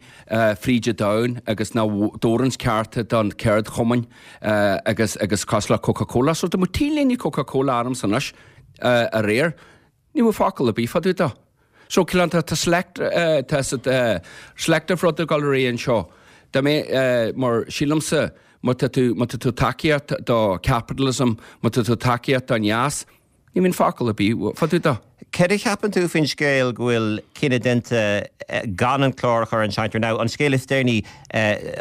Speaker 4: fríd an domhan agus nach dtabharanns cearta don ceardchumainn agus, agus cosúil le Coca-Cola. So dá mbeadh T-léine Coca-Cola ormsa anois aréir, Ní bheadh focal ar bith fá dtaobh de. So, cineál, tá, tá select, tá selective rud ag dul ar aghaidh anseo. Dá mbeadh, mar sílimse, má tá tú, má tá tú tacaíocht do capitalism, má tá tú tacaíocht don dheas, ní bhíonn focal ar bith fá dtaobh de.
Speaker 1: Céard a cheapann tú faoin scéal go bhfuil cinneadh déanta gan an clár a chur ar an seinnteoir? Now, an scéal is deireanaí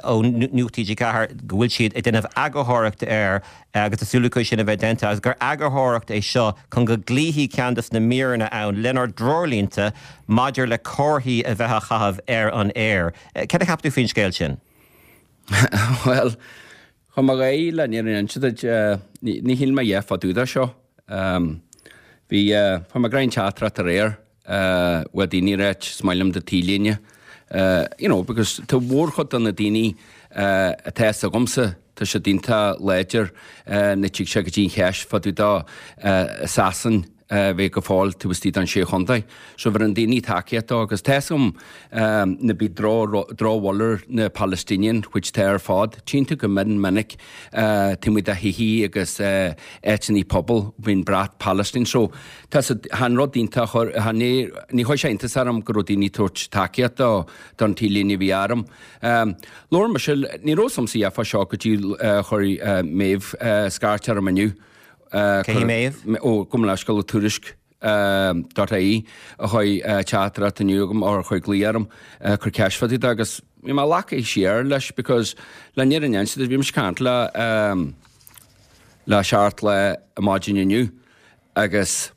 Speaker 1: ó Nuacht TG4 go bhfuil siad ag déanamh eagarthóireacht air agus tá súil acu é sin a bheith déanta, agus gur eagarthóireacht é seo chun go gcloífidh ceann de na míreanna ann lenár dtreoirlínte maidir le comharthaí a bheith á chaitheamh ar an aer. Céard a cheap tú faoin scéal sin?
Speaker 4: Bhuel, chun mo ghaoth le an fhírinne a inse duit, ní shíl mé a dhath fá dtaobh de seo. Bhí, fuair mé greim teachtaireacht aréir ó daoine ag ráit, is maith liom do T-léine. You know, because tá mhórchuid de na daoine atá fhios agamsa, tá siad iontach láidir nuair a tig sé go dtí an cheist fá dtaobh de Sasain a bheith go fóill taobh istigh den Sé Chontae. So bheireann daoine tacaíocht dó agus tá fhios agam ná bí drochbhail ar na Palestinian, which tá ar fad, tchíonn tú go mion minic taobh amuigh de thithe agus áiteanna pobail bíonn brat Palestine. So Tá sa, chan rud iontach, chan é, ní chuir sé iontas orm go raibh daoine ag tabhairt tacaíocht do, don T-léine a bhí orm. Labhair mise, ní raibh fhios a'msa a dhath fá seo go dtí chuir Méabh scairt orm inniu.
Speaker 1: Cé hí Méabh?
Speaker 4: Ó, gabh mo leithscéal, ó Tuairisc dot ie a chuir teachtaireacht inniu agam, or a chuir glaoch orm, cur ceist fá dtaobh de agus bhí mé leagtha siar leis because le an fhírinne a inse duit, bhí mise ag caint le, le Seartla maidin inniu. agus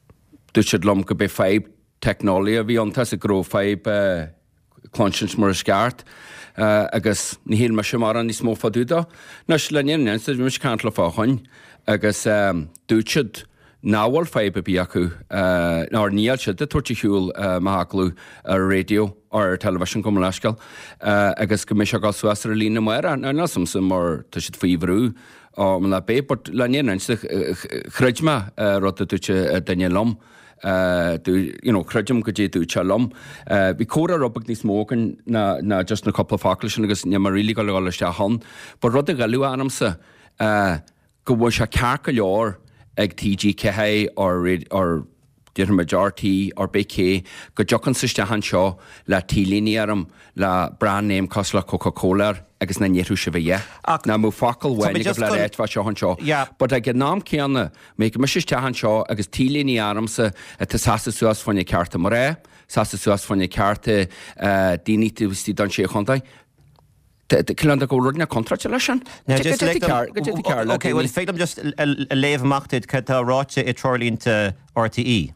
Speaker 4: dúirt siad liom go b'é fadhb teicneolaí a bhí ann, tá 'fhios a'd go raibh fadhb cluinsint mar is ceart agus ní shíl mise mórán níos mó fá dtaobh dó. Anois, le an fhírinne a inse duit, bhí mise ag caint leo fá choinn agus dúirt siad nach bhfuil fadhb ar bith acu, nó níl siad ag tabhairt ar shiúl m'agallamh ar raidió or ar television gabh mo leithscéal agus go mbeidh sé ag dul suas ar an líne amárach. Now, níl 'fhios a'msa mar tá siad faoi bhrú Ó, ná beidh, but le an fhírinne a inse chreid mé rud a dúirt duine liom, you know, creidim goidé a dúirt sé liom. Bhí comhrá rud beag níos mó againn ná ná just na cúpla focal sin agus níl mé really ag dul isteach ann. But rud a ghoilleadh ormsa, go bhfuil sé ceart go leor ag TG4 or or déarfaimid RTÉ or pé cé go dtiocfainnse isteach anseo le T-léine orm le brand name cosúil le Coca Cola air agus nach ndéarfadh sibh a dhath.
Speaker 1: Ach
Speaker 4: Nach mbeadh focal
Speaker 1: tá
Speaker 4: amháin
Speaker 1: mé
Speaker 4: agaibh
Speaker 1: just
Speaker 4: le
Speaker 1: chun
Speaker 4: ráit fá seo anseo.
Speaker 1: Yeah.
Speaker 4: But ag an am céanna, mbeadh mise isteach anseo agus T-léine ormsa atá seasamh suas fá choinne cearta mná, seasamh suas fá choinne cearta daoine taobh istigh den Sé Chontae, Cineál de go bhfuil rud inteacht contráilte leis sin.
Speaker 1: Now just lig dom, ok, well féig liom just a léamh amach duit cad tá ráite i dtreoirlínte RTÉ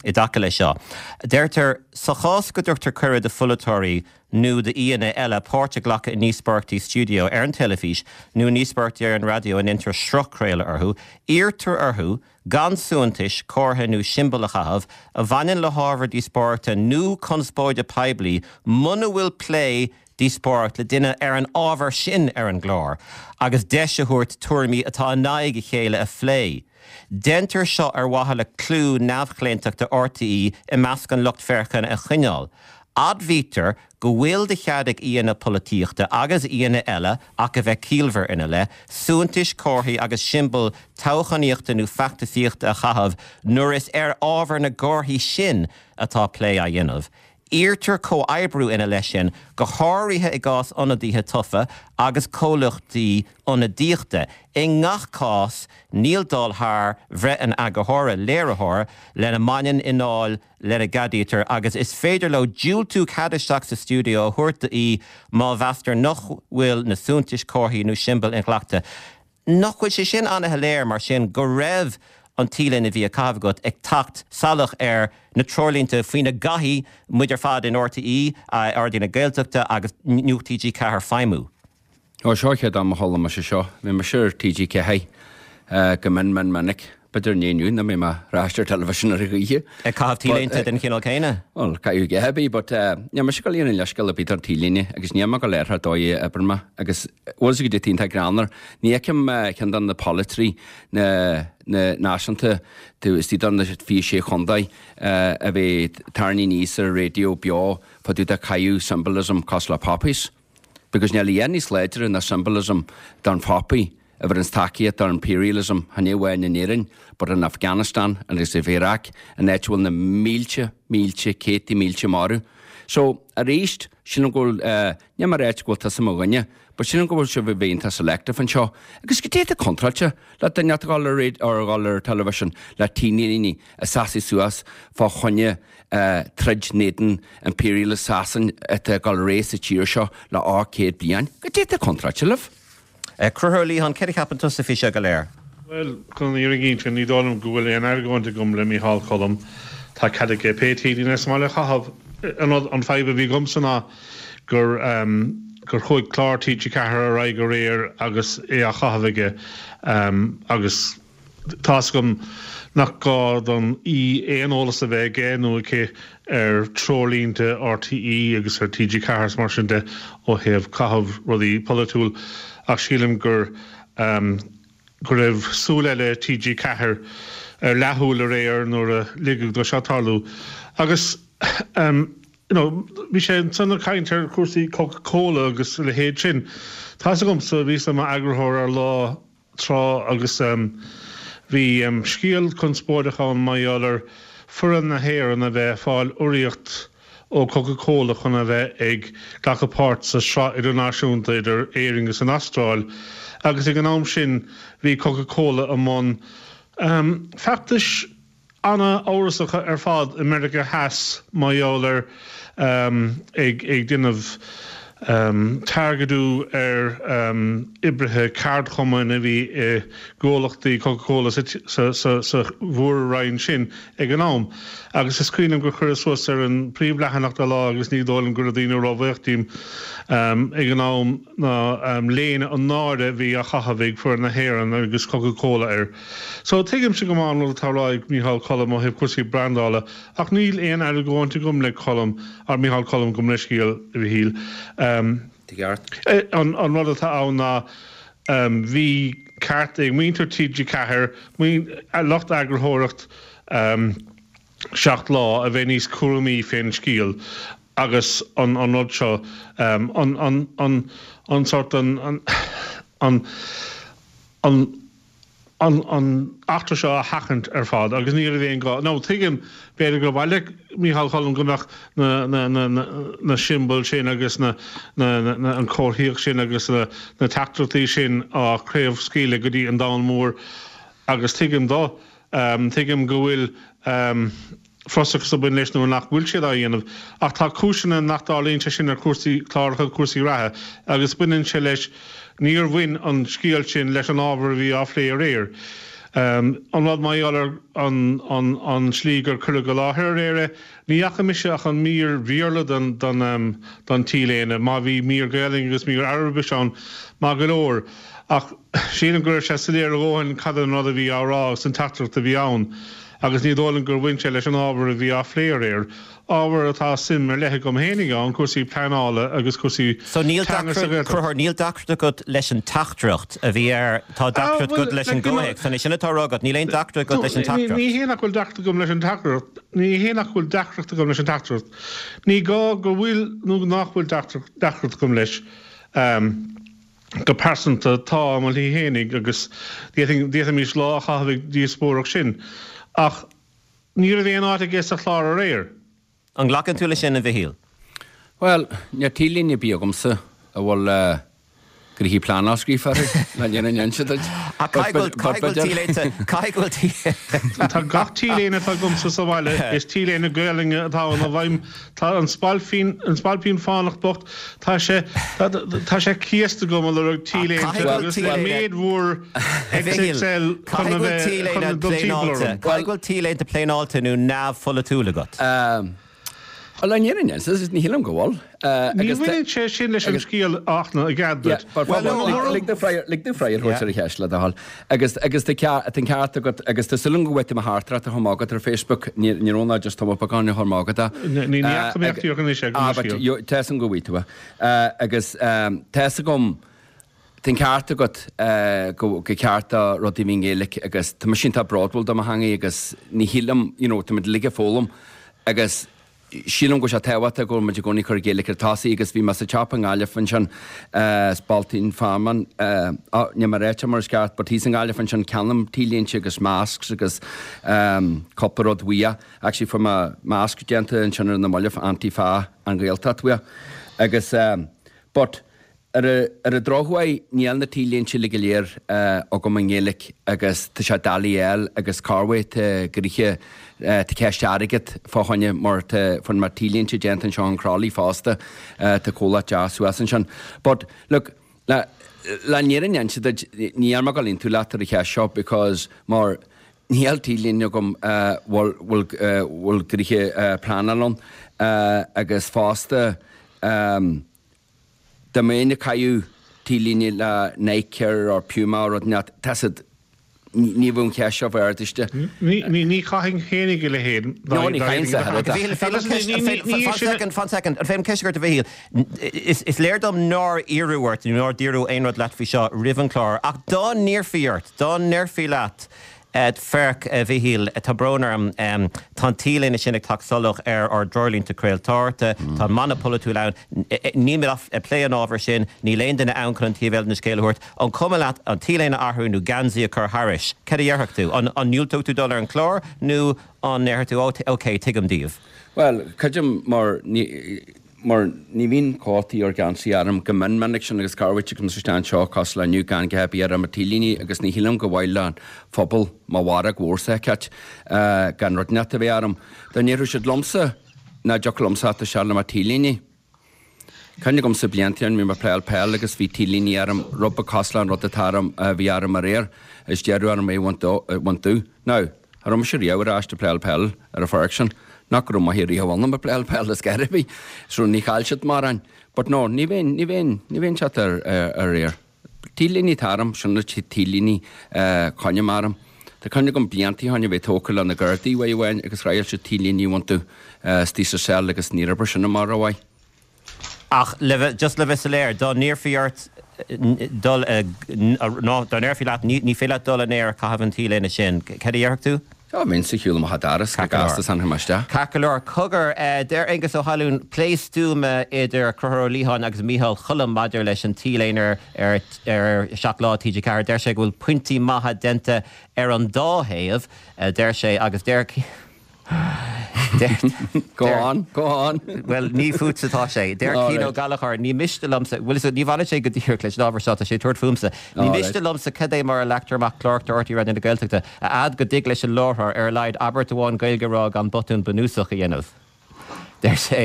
Speaker 1: i dtaca leis seo. Deirtear, sa chás go dtugtar cuireadh do pholaiteoirí nó d'aíonna eile páirt a ghlacadh i ndíospóireachtaí stiúideo ar an teilifís nó i ndíospóireachtaí ar an raidió a ndéantar sruthchraoladh orthu, iarrtar orthu gan suaitheantais, comhartha nó siombail a chaitheamh a bhaineann le hábhar díospóireachta nó conspóide poiblí muna bhfuil plé díospóireacht le duine ar an ábhar sin ar an gclár agus deis a thabhairt tuairimí atá in aghaidh a chéile a phlé. Deintear seo ar mhaithe le clú neamhchlaontachta RTÉ i measc an lucht féachana a choinneáil. Admhaítear go bhfuil de chead ag aíonna polaitíochta agus aíonna eile, ach a bheith ciallmhar ina leith, suaitheantais, comharthaí agus siombail toghchánaíochta nó feachtasaíochta a chaitheamh nuair is ar ábhar na gcomharthaí sin atá plé á dhéanamh. Iarrtar comhoibriú ina leith sin, go háirithe i gcás ionadaithe tofa agus comhlachtaí ionadaíochta. I ngach cás, níl dul thar bhreith an eagarthóra, léiritheora lena mbaineann i ndáil lena gceadaítear agus is féidir leo diúltú cead isteach sa stiúideo a thabhairt d'aoi má mheastar nach bhfuil na suaitheantais, comharthaí nó siombail inghlactha. Nach bhfuil sé sin an-shoiléir, mar sin, go raibh an T-léine a bhí á caitheamh agat ag teacht salach ar na treoirlínte faoina gcaithfidh muid ar fad in RTÉ, Raidió na Gaeltachta agus Nuacht TG4 feidhmiú?
Speaker 4: Ó, seo an chéad am a chuala mise seo. Bhí mise ar TG4 go mion mion minic. B'fhéidir inné inniu nach mbeidh mé ar ais ar television ar a choíche.
Speaker 1: Ag caitheamh T-léinte den chineál céanna?
Speaker 4: Bhuel, caithfidh a dhath ar bith, but níl mise ag dul iarraidh leithscéal ar bith don T-léine agus níl mé ag dul air dóigh a oibreann mé agus bhfuil sé go dtí iontach greannmhar. Ní fheicim ceann de na polaiteoirí na na náisiúnta taobh istigh de na 26 chontae a bheith tarraingthe aníos ar an raidió beo fá dtaobh de caitheamh symbolism cosúil le poppies. Because níl a dhath níos láidre ná symbolism don phoppy a bheireanns tacaíocht don imperialism, chan é amháin in Éirinn, but in Afghanistan agus in Iraq, an áit a bhfuil na mílte, mílte, céadta mílte marbh. So, arís, sílim go bhfuil, eh, níl mé ag ráit go bhfuil tusa mo dhuine, but sílim go bhfuil sibh ag bheith iontach selective anseo. Agus goidé atá contráilte le duine atá ag dul ar radio, or ag dul ar television le T-léine ag seasamh suas fá choinne troid in éadan imperialist Sasain atá ag dul ar aghaidh sa tír seo le 800 bliain. Goidé atá contráilte libh?
Speaker 1: Conchúr Ó Liatháin, céard a cheapann tusa faoi seo go léir?
Speaker 5: Bhuel, chun an fhírinne a inse, ní dóigh liom go bhfuil aon argóint agam le Mícheál Colm. Tá cead aige pé T-léine is maith leis a chaitheamh. An rud, an fadhb a bhí agamsa ná gur gur chuaigh clár TG4 ar aghaidh aréir agus é á chaitheamh aige agus Tá's agam nach gá don aoi aon eolas a bheith aige nó aici ar treoirlínte RTÉ agus ar TG4 is mar sin de ó thaobh caitheamh rudaí polaitiúil ach sílim gur go raibh súil eile TG4 ar leathshúil aréir nuair a ligeadh dó seo tarlú agus you know bhí sé ansan ag caint ar chúrsaí Coca Cola agus a leithéid sin. Tá's agamsa bhíos i m'eagarthóir ar Lá tráth agus bhí scéal conspóideach ann mar gheall ar foireann na hÉireann a bheith ag fáil urraíocht ó Coca Cola chun a bheith ag glacadh páirt sa Sraith Idirnáisiúnta idir Éirinn agus an Astráil agus ag an am sin bhí Coca Cola i mbun feachtais ana-amhrasacha ar fad i Meiriceá Theas mar gheall ar ag déanamh targaidiú ar oibrithe ceardchumainn a bhí i gcomhlachtaí Coca-Cola sa mhór-roinn sin ag an am. Agus is cuimhin liom gur cuireadh suas ar an príomhleathanach de Lá agus ní dóigh liom go raibh daoine róbhuíoch díom ag an am ná léine an náire a bhí á chaitheamh ag foireann na hÉireann agus Coca-Cola air. So, tuigimse go maith an rud atá á rá ag Mícheál Colm ó thaobh cúrsaí brandála, ach níl aon argóint agam le Colm, or Mícheál Colm, gabh mo leithscéal, a Mhichíl. An rud atá ann ná, bhí ceart ag muintir TG4, lucht eagarthóireacht 7 Lá, a bheith níos cúramaí fén scéal agus an rud seo, an, an, an, an sort, an, an, an, an an eachtra seo a sheachaint ar fad agus ní raibh aon gá. Now tuigim, b'fhéidir gur mhaith le Mícheál Colm go mbeadh na na na na na siombail sin agus na na na an comharthaíocht sin agus na na teachtaireachtaí sin á craobhscaoileadh go dtí an domhan mór agus tuigim dó. Tuigim go bhfuil frustrachas ag baint leis nuair nach bhfuil siad á dhéanamh. Ach tá cúiseanna nach dtarlaíonn sé sin ar chúrsaí cláracha, cúrsaí reatha, agus baineann sé leis, níor bhain an scéal sin leis an ábhar a bhí á phlé aréir. An rud mar gheall ar an an slí gur cuireadh i láthair aréir é, ní fhaca mise ach an mír Bhéarla den den den T-léine, má bhí mír Gaelainne agus mír Araibise ann, maith go leor. Ach sílim go raibh sé soiléir a dhóthain cad an rud a bhí á rá agus an teachtaireacht a bhí ann. Agus ní dóigh liom gur bhain sé leis an ábhar a bhí á phlé aréir, ábhar atá suim ar leith agam fhéinig ann, cúrsaí pleanála agus cúrsaí
Speaker 1: So níl
Speaker 5: teanga sa
Speaker 1: deacracht,
Speaker 5: Ghaeltacht.
Speaker 1: Conchúr, níl deacracht agat leis an teachtaireacht a bhí air, tá deacracht
Speaker 5: Bhuel,
Speaker 1: agat leis an
Speaker 5: like, you know,
Speaker 1: gcomhthéacs, an é sin atá á rá agat, níl aon deacracht agat leis an
Speaker 5: ní, ní
Speaker 1: teachtaireacht.
Speaker 5: hé nach bhfuil deacracht agam leis an teachtaireacht, ní hé nach bhfuil deacracht agam leis an teachtaireacht. Ní gá go bhfuil nó nach bhfuil deacracht, deacracht agam leis. Go pearsanta, tá i mo shlí fhéinig agus d'fhéadfaimis lá a chaitheamh ag díospóireacht sin. Ach ní raibh aon áit aige sa chlár aréir.
Speaker 1: An nglacann tú leis sin, a Mhichíl?
Speaker 4: Bhuel, níl T-léine ar bith agamsa a bhfuil gnoithí pleanála scríofa orthu, le an fhírinne a inse duit.
Speaker 1: Ach caithfidh go bhfuil T-léinte, caithfidh go bhfuil T.
Speaker 5: Tá gach T-léine atá agamsa sa bhaile, is T-léine Gaelainne atá ann, ó bhfeidhm Tá an spailpín, an spailpín fánach bocht, tá sé, tá sé céasta agam ag lorg T-léinte agus le méid mhór XXL chun a bheith, chun dul timpeall orm.
Speaker 1: Caithfidh go bhfuil T-léinte pléineáilte nó neamhpholaitiúil agat.
Speaker 4: Bhuel, an fhírinne, ní shílim go bhfuil.
Speaker 5: Ní bhaineann sé sin leis an scéal ach na i gcead duit.
Speaker 4: Lig domh freagra a thabhairt ar an cheist le do thoil. Agus agus tá an ceart agat agus tá súil agam go bhfaighidh tú mo theachtaireacht a chur amach agat ar Facebook, ní raibh ná just tumadh beagán a chur amach agat.
Speaker 5: Ní fhaca mé ach díreach anois é go
Speaker 4: mbeidh scéal. Tá 'fhios agam go bhfaighidh tú é. Agus tá 'fhios agam Tá an ceart agat go gur ceart do rudaí a bheith i nGaeilge agus tá mise iontach bródúil de mo theangaidh agus ní shílim, you know, tá muid uilig ag foghlaim agus sílim go bhfuil sé tábhachtach go bhfuil muid i gcónaí ag cur Gaeilge ar tosaigh agus bhí mé sa tsiopa i nGaillimh ansin, Spailpín Fearman, oh, níl mé ráite mar is ceart but thíos i nGaillimh ansin ceannaím T-léinte agus masks agus cúpla rud uaidh. Actually fuair mé masc déanta ansin ar na mallaibh Antifa an Ghaeltacht uaidh agus but Ar an drochuair, níl na T-léinte uilig go léir agam i nGaeilge agus tá sé doiligh a fháil agus corruair tá gnoithe, tá ceist airgid fá choinne mar tá, fuair mé T-léinte déanta anseo in Crolly fosta, tá comhlacht deas suas ansin. But, look, le, le an fhírinne a inse duit, níl mé ag dul aontú leat ar an cheist seo because mar níl T-léine agam bhfuil, bhfuil, bhfuil gnoithe pleanáil ann agus fosta, Dá mbeinn ag caitheamh T-léine le Nike or Puma or rud inteacht, tá siad, ní bheadh an cheist seo bheith ardaithe.
Speaker 5: Ní chaithfinn féinig a leithéid.
Speaker 4: No, ní chaithfinn a
Speaker 1: leithéid. Fan soicind, fan soicind, an féidir ceist a chur ort a Mhichíl? Is léir dom nár iarradh ort nó nár dúradh aon rud leat faoi seo roimh an chlár, ach dá n-iarrfaí ort, dá ndéarfaí leat, Féach, a Mhichíl, tá brón orm, tá an T-léine sin ag teacht salach ar ár dtreoirlínte craoltóireachta, tá an mana polaitiúil ann, nílimid ag plé an ábhair sin, níl aon duine ann chun an taobh eile den scéal a thabhairt. An cuma leat an T-léine a athrú nó geansaí a chur thairis? Cad a dhéarfadh tú? An ndiúltódh tú dul ar an chlár nó an ndéarfadh tú, oh, ok, tuigim daoibh?
Speaker 4: Bhuel, creidim mar ní. Mar ní bhíonn cótaí or geansaí orm go mion minic sin agus corruair tagaim isteach anseo cosúil le inniu gan a dhath ar bith orm ach T-léine agus ní shílim gur mhaith le phobal mo mhairg mhór a fheiceáilt gan rud inteacht a bheith orm. Dá ndéarfadh siad liomsa nach dtiocfadh liomsa theacht isteach le mo T-léine. Cuimhne agamsa blianta ó shin bhí mé ag playáil peil agus bhí T-léine orm rud beag cosúil le an rud atá orm a bhí orm aréir is deireadh orm é a bhaint domh. Now, Cha raibh mise riamh ar ais ag playáil peil ar an pháirc sin. Nach go raibh maith riamh ionam ag playáil peil ar scor ar bith. So ní chaill siad mórán. But no, ní bheinn, ní bheinn, ní bheinn teacht ar, ar aer. T-léine atá orm, sin na T-léine a choinním orm. Tá cuimhne agam blianta ó shin a bheith tógtha le na Gardaí uair amháin agus thriail siad T-léine a bhaint domh istigh sa cell agus níor oibir sin amach rómhaith.
Speaker 1: Ach le bheith, just le bheith soiléir, dá n-iarrfaí ort dul, nó dá ndéarfaí leat ní féidir leat dul in aer ag caitheamh an T-léine sin, cad a dhéarfadh tú?
Speaker 4: Á, bheinn sa shiúl amach an doras go gasta is fanfaidh mé isteach.
Speaker 1: Ceart go leor. Cogar, deir Aengus Ó hAlmhain, plé stuama idir Conchúr Ó Liatháin agus Micheál Choilm maidir leis an T-léine ar ar 7 Lá TG4. Deir sé go bhfuil pointí maithe déanta ar an dá thaobh, deir sé, agus deir.
Speaker 4: Go on, go on.
Speaker 1: Bhuel, ní fútsa atá sé. Deir Cian Ó Gallchóir, ní miste liomsa, bhuel, ní bhaineann sé go díreach leis an ábhar seo, tá sé ag tabhairt fúmsa. Ní miste liomsa cad é mar a leagtar amach cláracha RTÉ Raidió na Gaeltachta, a fhad go dtig leis an láithreoir ar a laghad abairt amháin Gaeilge a rá gan botún bunúsach a dhéanamh. Deir sé,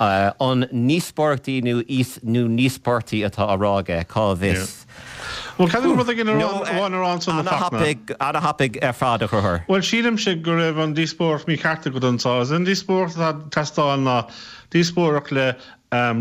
Speaker 1: an ndíospóireachtaí nó nó ndíospóirtí atá á rá aige, cá bhfios?
Speaker 5: Bhuel, caithfidh mé rud éigin amháin a rá ansan, a Fachtna.
Speaker 1: Ana-thapaidh ar fad, a Chonchúir.
Speaker 5: Bhuel, sílimse go raibh an díospóireacht mícheart agat anso. Is an díospóireacht atá ag teastáil ná díospóireacht le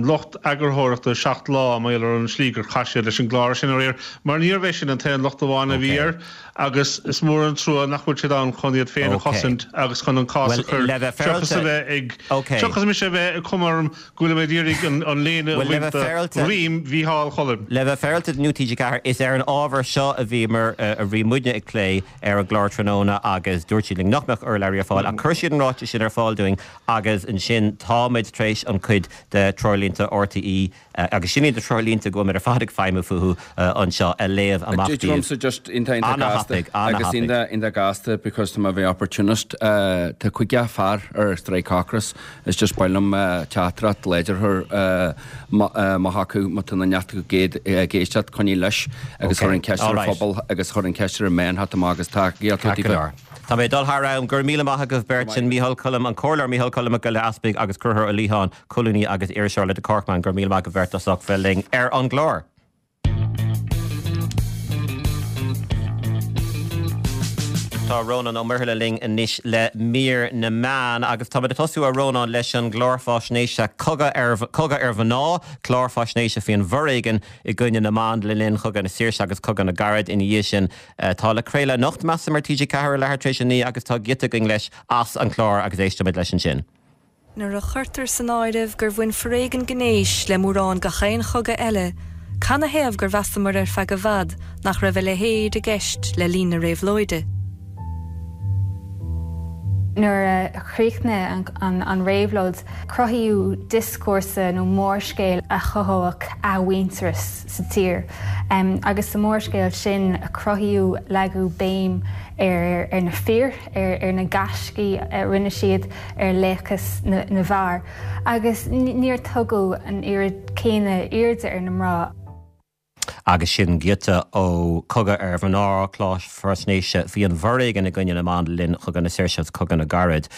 Speaker 5: lucht eagarthóireachta 7 Lá mar gheall ar an slí gur chaith siad leis an gclár sin aréir, mar níorbh é sin an t-aon locht amháin a bhí air agus is mór an trua nach bhfuil siad ann chun iad féin a chosaint agus chun an cás a chur seachas a bheith ag seachas mise a bheith ag cuma orm go bhfuilim ag iarraidh an léine a bhaint de dhroim Mhícheál Choilm.
Speaker 1: Le bheith féaráilte do Nuacht TG4, is ar an ábhar seo a bhíomar, a bhí muidne ag plé ar an gclár tráthnóna agus dúirt siad linn nach mbeadh urlabhraí ar fáil ach chuir siad an ráiteas sin ar fáil dúinn Agus ansin táimid tar éis an cuid de treoirlínte RTÉ, agus sin iad na treoirlínte go bhfuilimid ar fad ag feidhmiú fúthu anseo, a léamh amach
Speaker 4: daoibh. Liomsa just iontach iontach gasta
Speaker 1: Ana-thapaidh,
Speaker 4: agus
Speaker 1: ana-thapaidh.
Speaker 4: iontach iontach gasta because tá mé a bheith opportunist. Tá 50 fear ar strike ocrais is just ba mhaith liom teachtaireacht láidir a chur amach acu má tá na neart acu ag éisteacht coinnigh leis agus
Speaker 1: Ok,
Speaker 4: chuir an ceist ar an
Speaker 1: alright.
Speaker 4: phobal agus chuir an ceist ar an meán theacht amach agus tacaíocht
Speaker 1: Ceart go leor. Tá mé ag dul thar am. Go raibh míle maith agaibh beirt. Sin Mícheál Choilm, an Comhairleoir Mícheál Colm Mac Giolla Easpaig agus Conchúr Ó Liatháin, colúnaí agus iriseoir le The Corkman. Go raibh míle maith agaibh beirt as ucht bheith linn ar an gclár. Tá Rónán Ó Muirthile linn anois le mír na meán agus táimid ag tosú, a Rónáin, leis an gclár faisnéise Cogadh ar Cogadh ar Mhná, clár faisnéise faoin bhforéigean i gcoinne na mban le linn Chogadh na Saoirse agus Cogadh na gCarad ina dhiaidh sin. Tá le craoladh anocht, measaim, ar TG4 ar leathuair tar éis a 9 agus tá giota againn leis as an chlár agus éistfimid leis ansin.
Speaker 6: Nuair a chuirtear san áireamh gur bhain foréigean gnéis le mórán gach aon chogadh eile, canathaobh gur mheasamar ar feadh i bhfad nach raibh a leithéid i gceist le linn na réabhlóide?
Speaker 7: Nuair a chríochnaigh an réabhlóid, cruthaíodh dioscúrsa nó mórscéal a chothódh athmhuintearas sa tír. Agus sa mhórscéal sin, cruthaíodh, leagadh béim ar na fir, ar na gaiscí a rinne siad, ar laochas na bhfear, agus níor tugadh an oiread céanna airde ar na mná.
Speaker 1: Agus sin giota ó Cogadh ar Mhná, clár faisnéise faoi an bhforéigean i gcoinne na mban le linn Chogadh na Saoirse agus Cogadh na gCarad.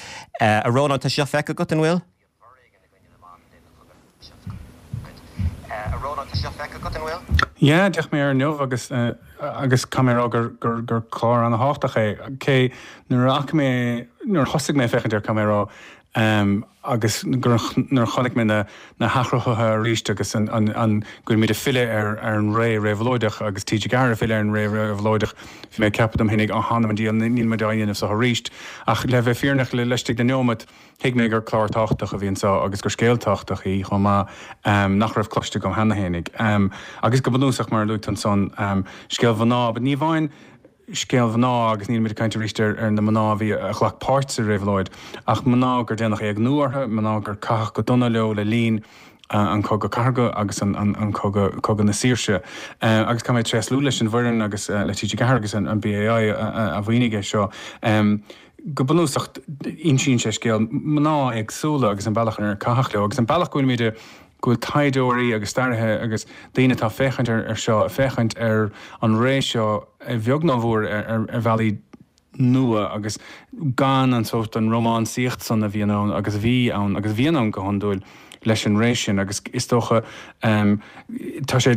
Speaker 1: A Rónáin, tá sé seo feicthe agat, an bhfuil?
Speaker 8: Yeah, d'fhéach mé air inniu agus agus caithfidh mé a rá gur gur gur clár ana-thábhachtach é. Cé nuair a fhaca mé nuair a thosaigh mé ag féachaint air caithfidh mé a rá agus gur nuair a chonaic mé na na hathchruthuithe arís agus an an an go bhfuil muid ag filleadh ar ar an ré réabhlóideach agus TG4 ag filleadh ar an ré réabhlóideach bhí mé ag ceapadh dom fhéinig á th'anam 'on diabhal níl muid á dhéanamh seo arís ach le bheith fírinneach le laistigh de neomat Thuig mé gur clár tábhachtach a bhí anseo agus gur scéal tábhachtach í chomh maith nach raibh cloiste agam cheana fhéinig. Agus go bunúsach, mar a luaigh tú ansan, scéal mhná, but ní amháin scéal mhná agus nílimid ag caint arís ar na mná a bhí, a ghlac páirt sa réabhlóid, ach mná gur déanadh éigniú orthu, mná gur caitheadh go dona leo le linn an Cogadh Cathartha agus an Cogadh, Cogadh na Saoirse. Agus caithfidh mé tréaslú leis an bhfoireann agus le TG4 agus an BAI a mhaoinigh é seo. Go bunúsach, insíonn sé scéal mná éagsúla agus an bealach ar caitheadh leo agus an bealach go bhfuilimid, go bhfuil taighdeoirí agus staraithe agus daoine atá ag féachaint ar seo, ag féachaint ar an ré seo a bheag nó a mhór ar bhealaí nua agus gan an sórt, an rómánsaíocht san a bhíonn ann agus a bhí ann agus a bhíonn ann go hiondúil leis an ré sin agus is dócha tá sé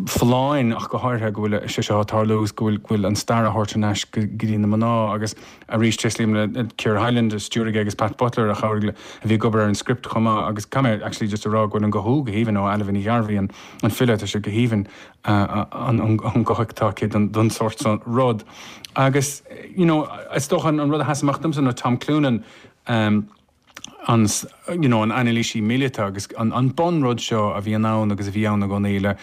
Speaker 8: folláin ach go háirithe go bhfuil sé seo ag tarlú agus go bhfuil go bhfuil an stair á thabhairt ar ais go dtí na mná agus arís tréaslaím le Ciara Hyland a stiúraigh agus Pat Butler a chabhraigh le a bhí ag obair ar an script chomh maith agus caithfidh mé actually just a rá go bhfuil an guthú go haoibhinn ó Ailbhe Ní Ghearbhuigh an an file tá sé go haoibhinn an an guth atá aici don don sórt san rud agus you know is dócha an rud a sheas amach domsa ná Tom Cloonan an you know an anailísí míleata agus an an bunrud seo a bhíonn ann agus a bhí ann i gcónaí le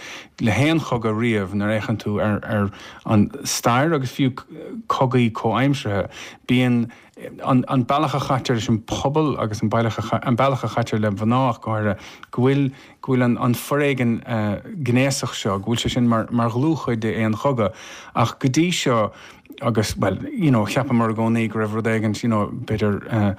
Speaker 8: le haon chogadh riamh nuair a fhéachann tú ar ar an stair agus fiú cogaí comhaimseartha bíonn an an bealach a chaitear leis an pobal agus an bealach a an bealach a chaitear le mná ach go háirithe go bhfuil go bhfuil an an foréigean gnéasach seo go bhfuil sé sin mar mar dhlúthchuid d'aon chogadh ach go dtí seo agus, bhuel, you know, cheapamar i gcónaí go raibh rud éigint, you know, b'fhéidir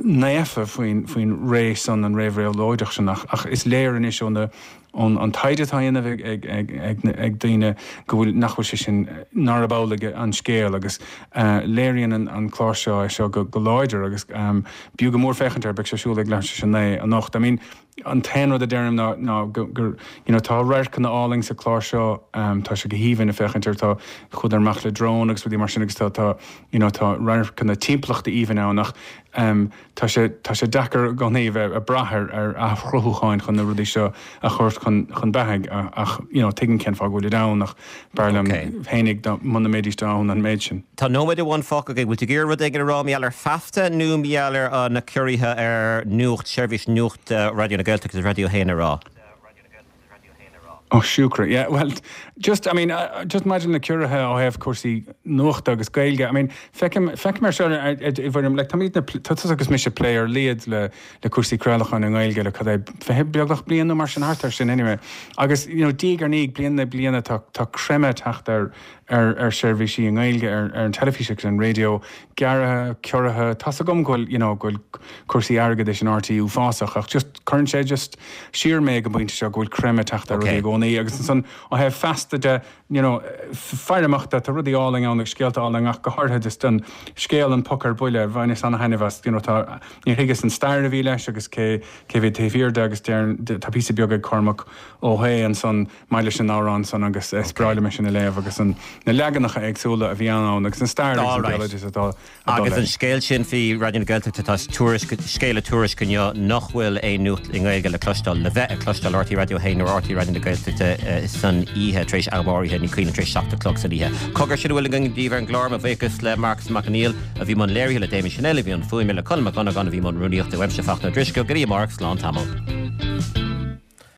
Speaker 8: naofa faoin, faoin ré san, an ré réabhlóideach sin ach, ach is léir anois ó na, ón an taighde atá á dhéanamh ag, ag, ag, ag, ag daoine go bhfuil, nach bhfuil sé sin, nárab amhlaidh an scéal agus léiríonn an, an clár seo é seo go, go láidir agus b'fhiú go mór féachaint air, beidh sé ar siúl ag leathuair tar éis a 9 anocht. I mean, An t-aon rud a deirim ná ná gur you know tá radharcanna álainn sa chlár seo, tá sé go haoibhinn ag féachaint air, tá chuadar amach le drón agus rudaí mar sin agus tá tá you know tá radharcanna timpeallachta aoibhinn ann ach tá sé tá sé deacair i gcónaí a bheith ag brath ar ar athchruthúcháin chun na rudaí seo a thabhairt chun chun beathaidh ach you know tuigim cén fáth go bhfuilid ann ach b'fhearr liom féinig dá muna mbeidís ann an méid sin.
Speaker 1: Tá nóiméad amháin fágtha againn. Bhfuil tú ag iarraidh rud éigin a rá mar gheall ar Feasta nó mar gheall ar na ciorruithe ar nuacht, seirbhís nuachta Raidió na Gaeltachta agus Raidió 1 a rá?
Speaker 8: Oh siúcra, yeah, well, just, I mean, just maidir le na ciorruithe ó thaobh cúrsaí nuachta agus Gaeilge, I mean, feicim, feicim ar seo i bhfoirm, like, táimid na, tá tusa agus mise ag plé ar a laghad le, le cúrsaí craolacháin i nGaeilge le cad é, 20 beagnach bliain nó mar sin, thart ar sin anyway. Agus, you know, diaidh ar ndiaidh, bliain i ndiaidh bliana, tá, tá creimeadh ag teacht ar, ar ar seirbhísí i nGaeilge, ar ar an teilifís agus ar an raidió, gearraithe, ciorraithe, tá's agam go bhfuil, you know, go bhfuil cúrsaí airgeadais in RTÉ uafásach ach just cuireann sé just siar mé ag an bpointe seo go bhfuil creimeadh ag teacht ar rudaí i gcónaí agus ansan ó thaobh Feasta de. you know, faire amach de, tá rudaí álainn ann agus scéalta álainn ach go háirithe just an scéal An Poc ar Buile, bhaineas ana-thaitneamh as, you know, tá, níor thuigeas an stair a bhí leis agus cé, cé a bhí taobh thiar de agus deir, tá píosa beag ag Cormac Ó hAodha ansan maidir leis an amhrán san agus is breá liom é sin a léamh agus an, na leaganacha éagsúla a bhí ann agus an stair agus an béaloideas atá
Speaker 1: Agus an scéal sin faoi Raidió na Gaeltachta, tá tuairisc, scéala Tuairisc inniu nach bhfuil aon nuacht i nGaeilge le cloisteáil, le bheith ag cloisteáil RTÉ Raidió 1 nó RTÉ Raidió na Gaeltachta san oíche tar éis am áirithe, ní cuimhin liom, tar éis 7 a chlog san oíche. Cogar, sin a bhfuil againn daoibh ar an gclár, mo bhuíochas le Marcas Mac Conghail a bhí i mbun léirithe, le Damien Channel a bhí i mbun fuaime, le Conall Mac Dhonnagáin a bhí i mbun rúnaíochta, uaimse Fachtna Ó Drisceoil, go dtí amárach, slán tamall.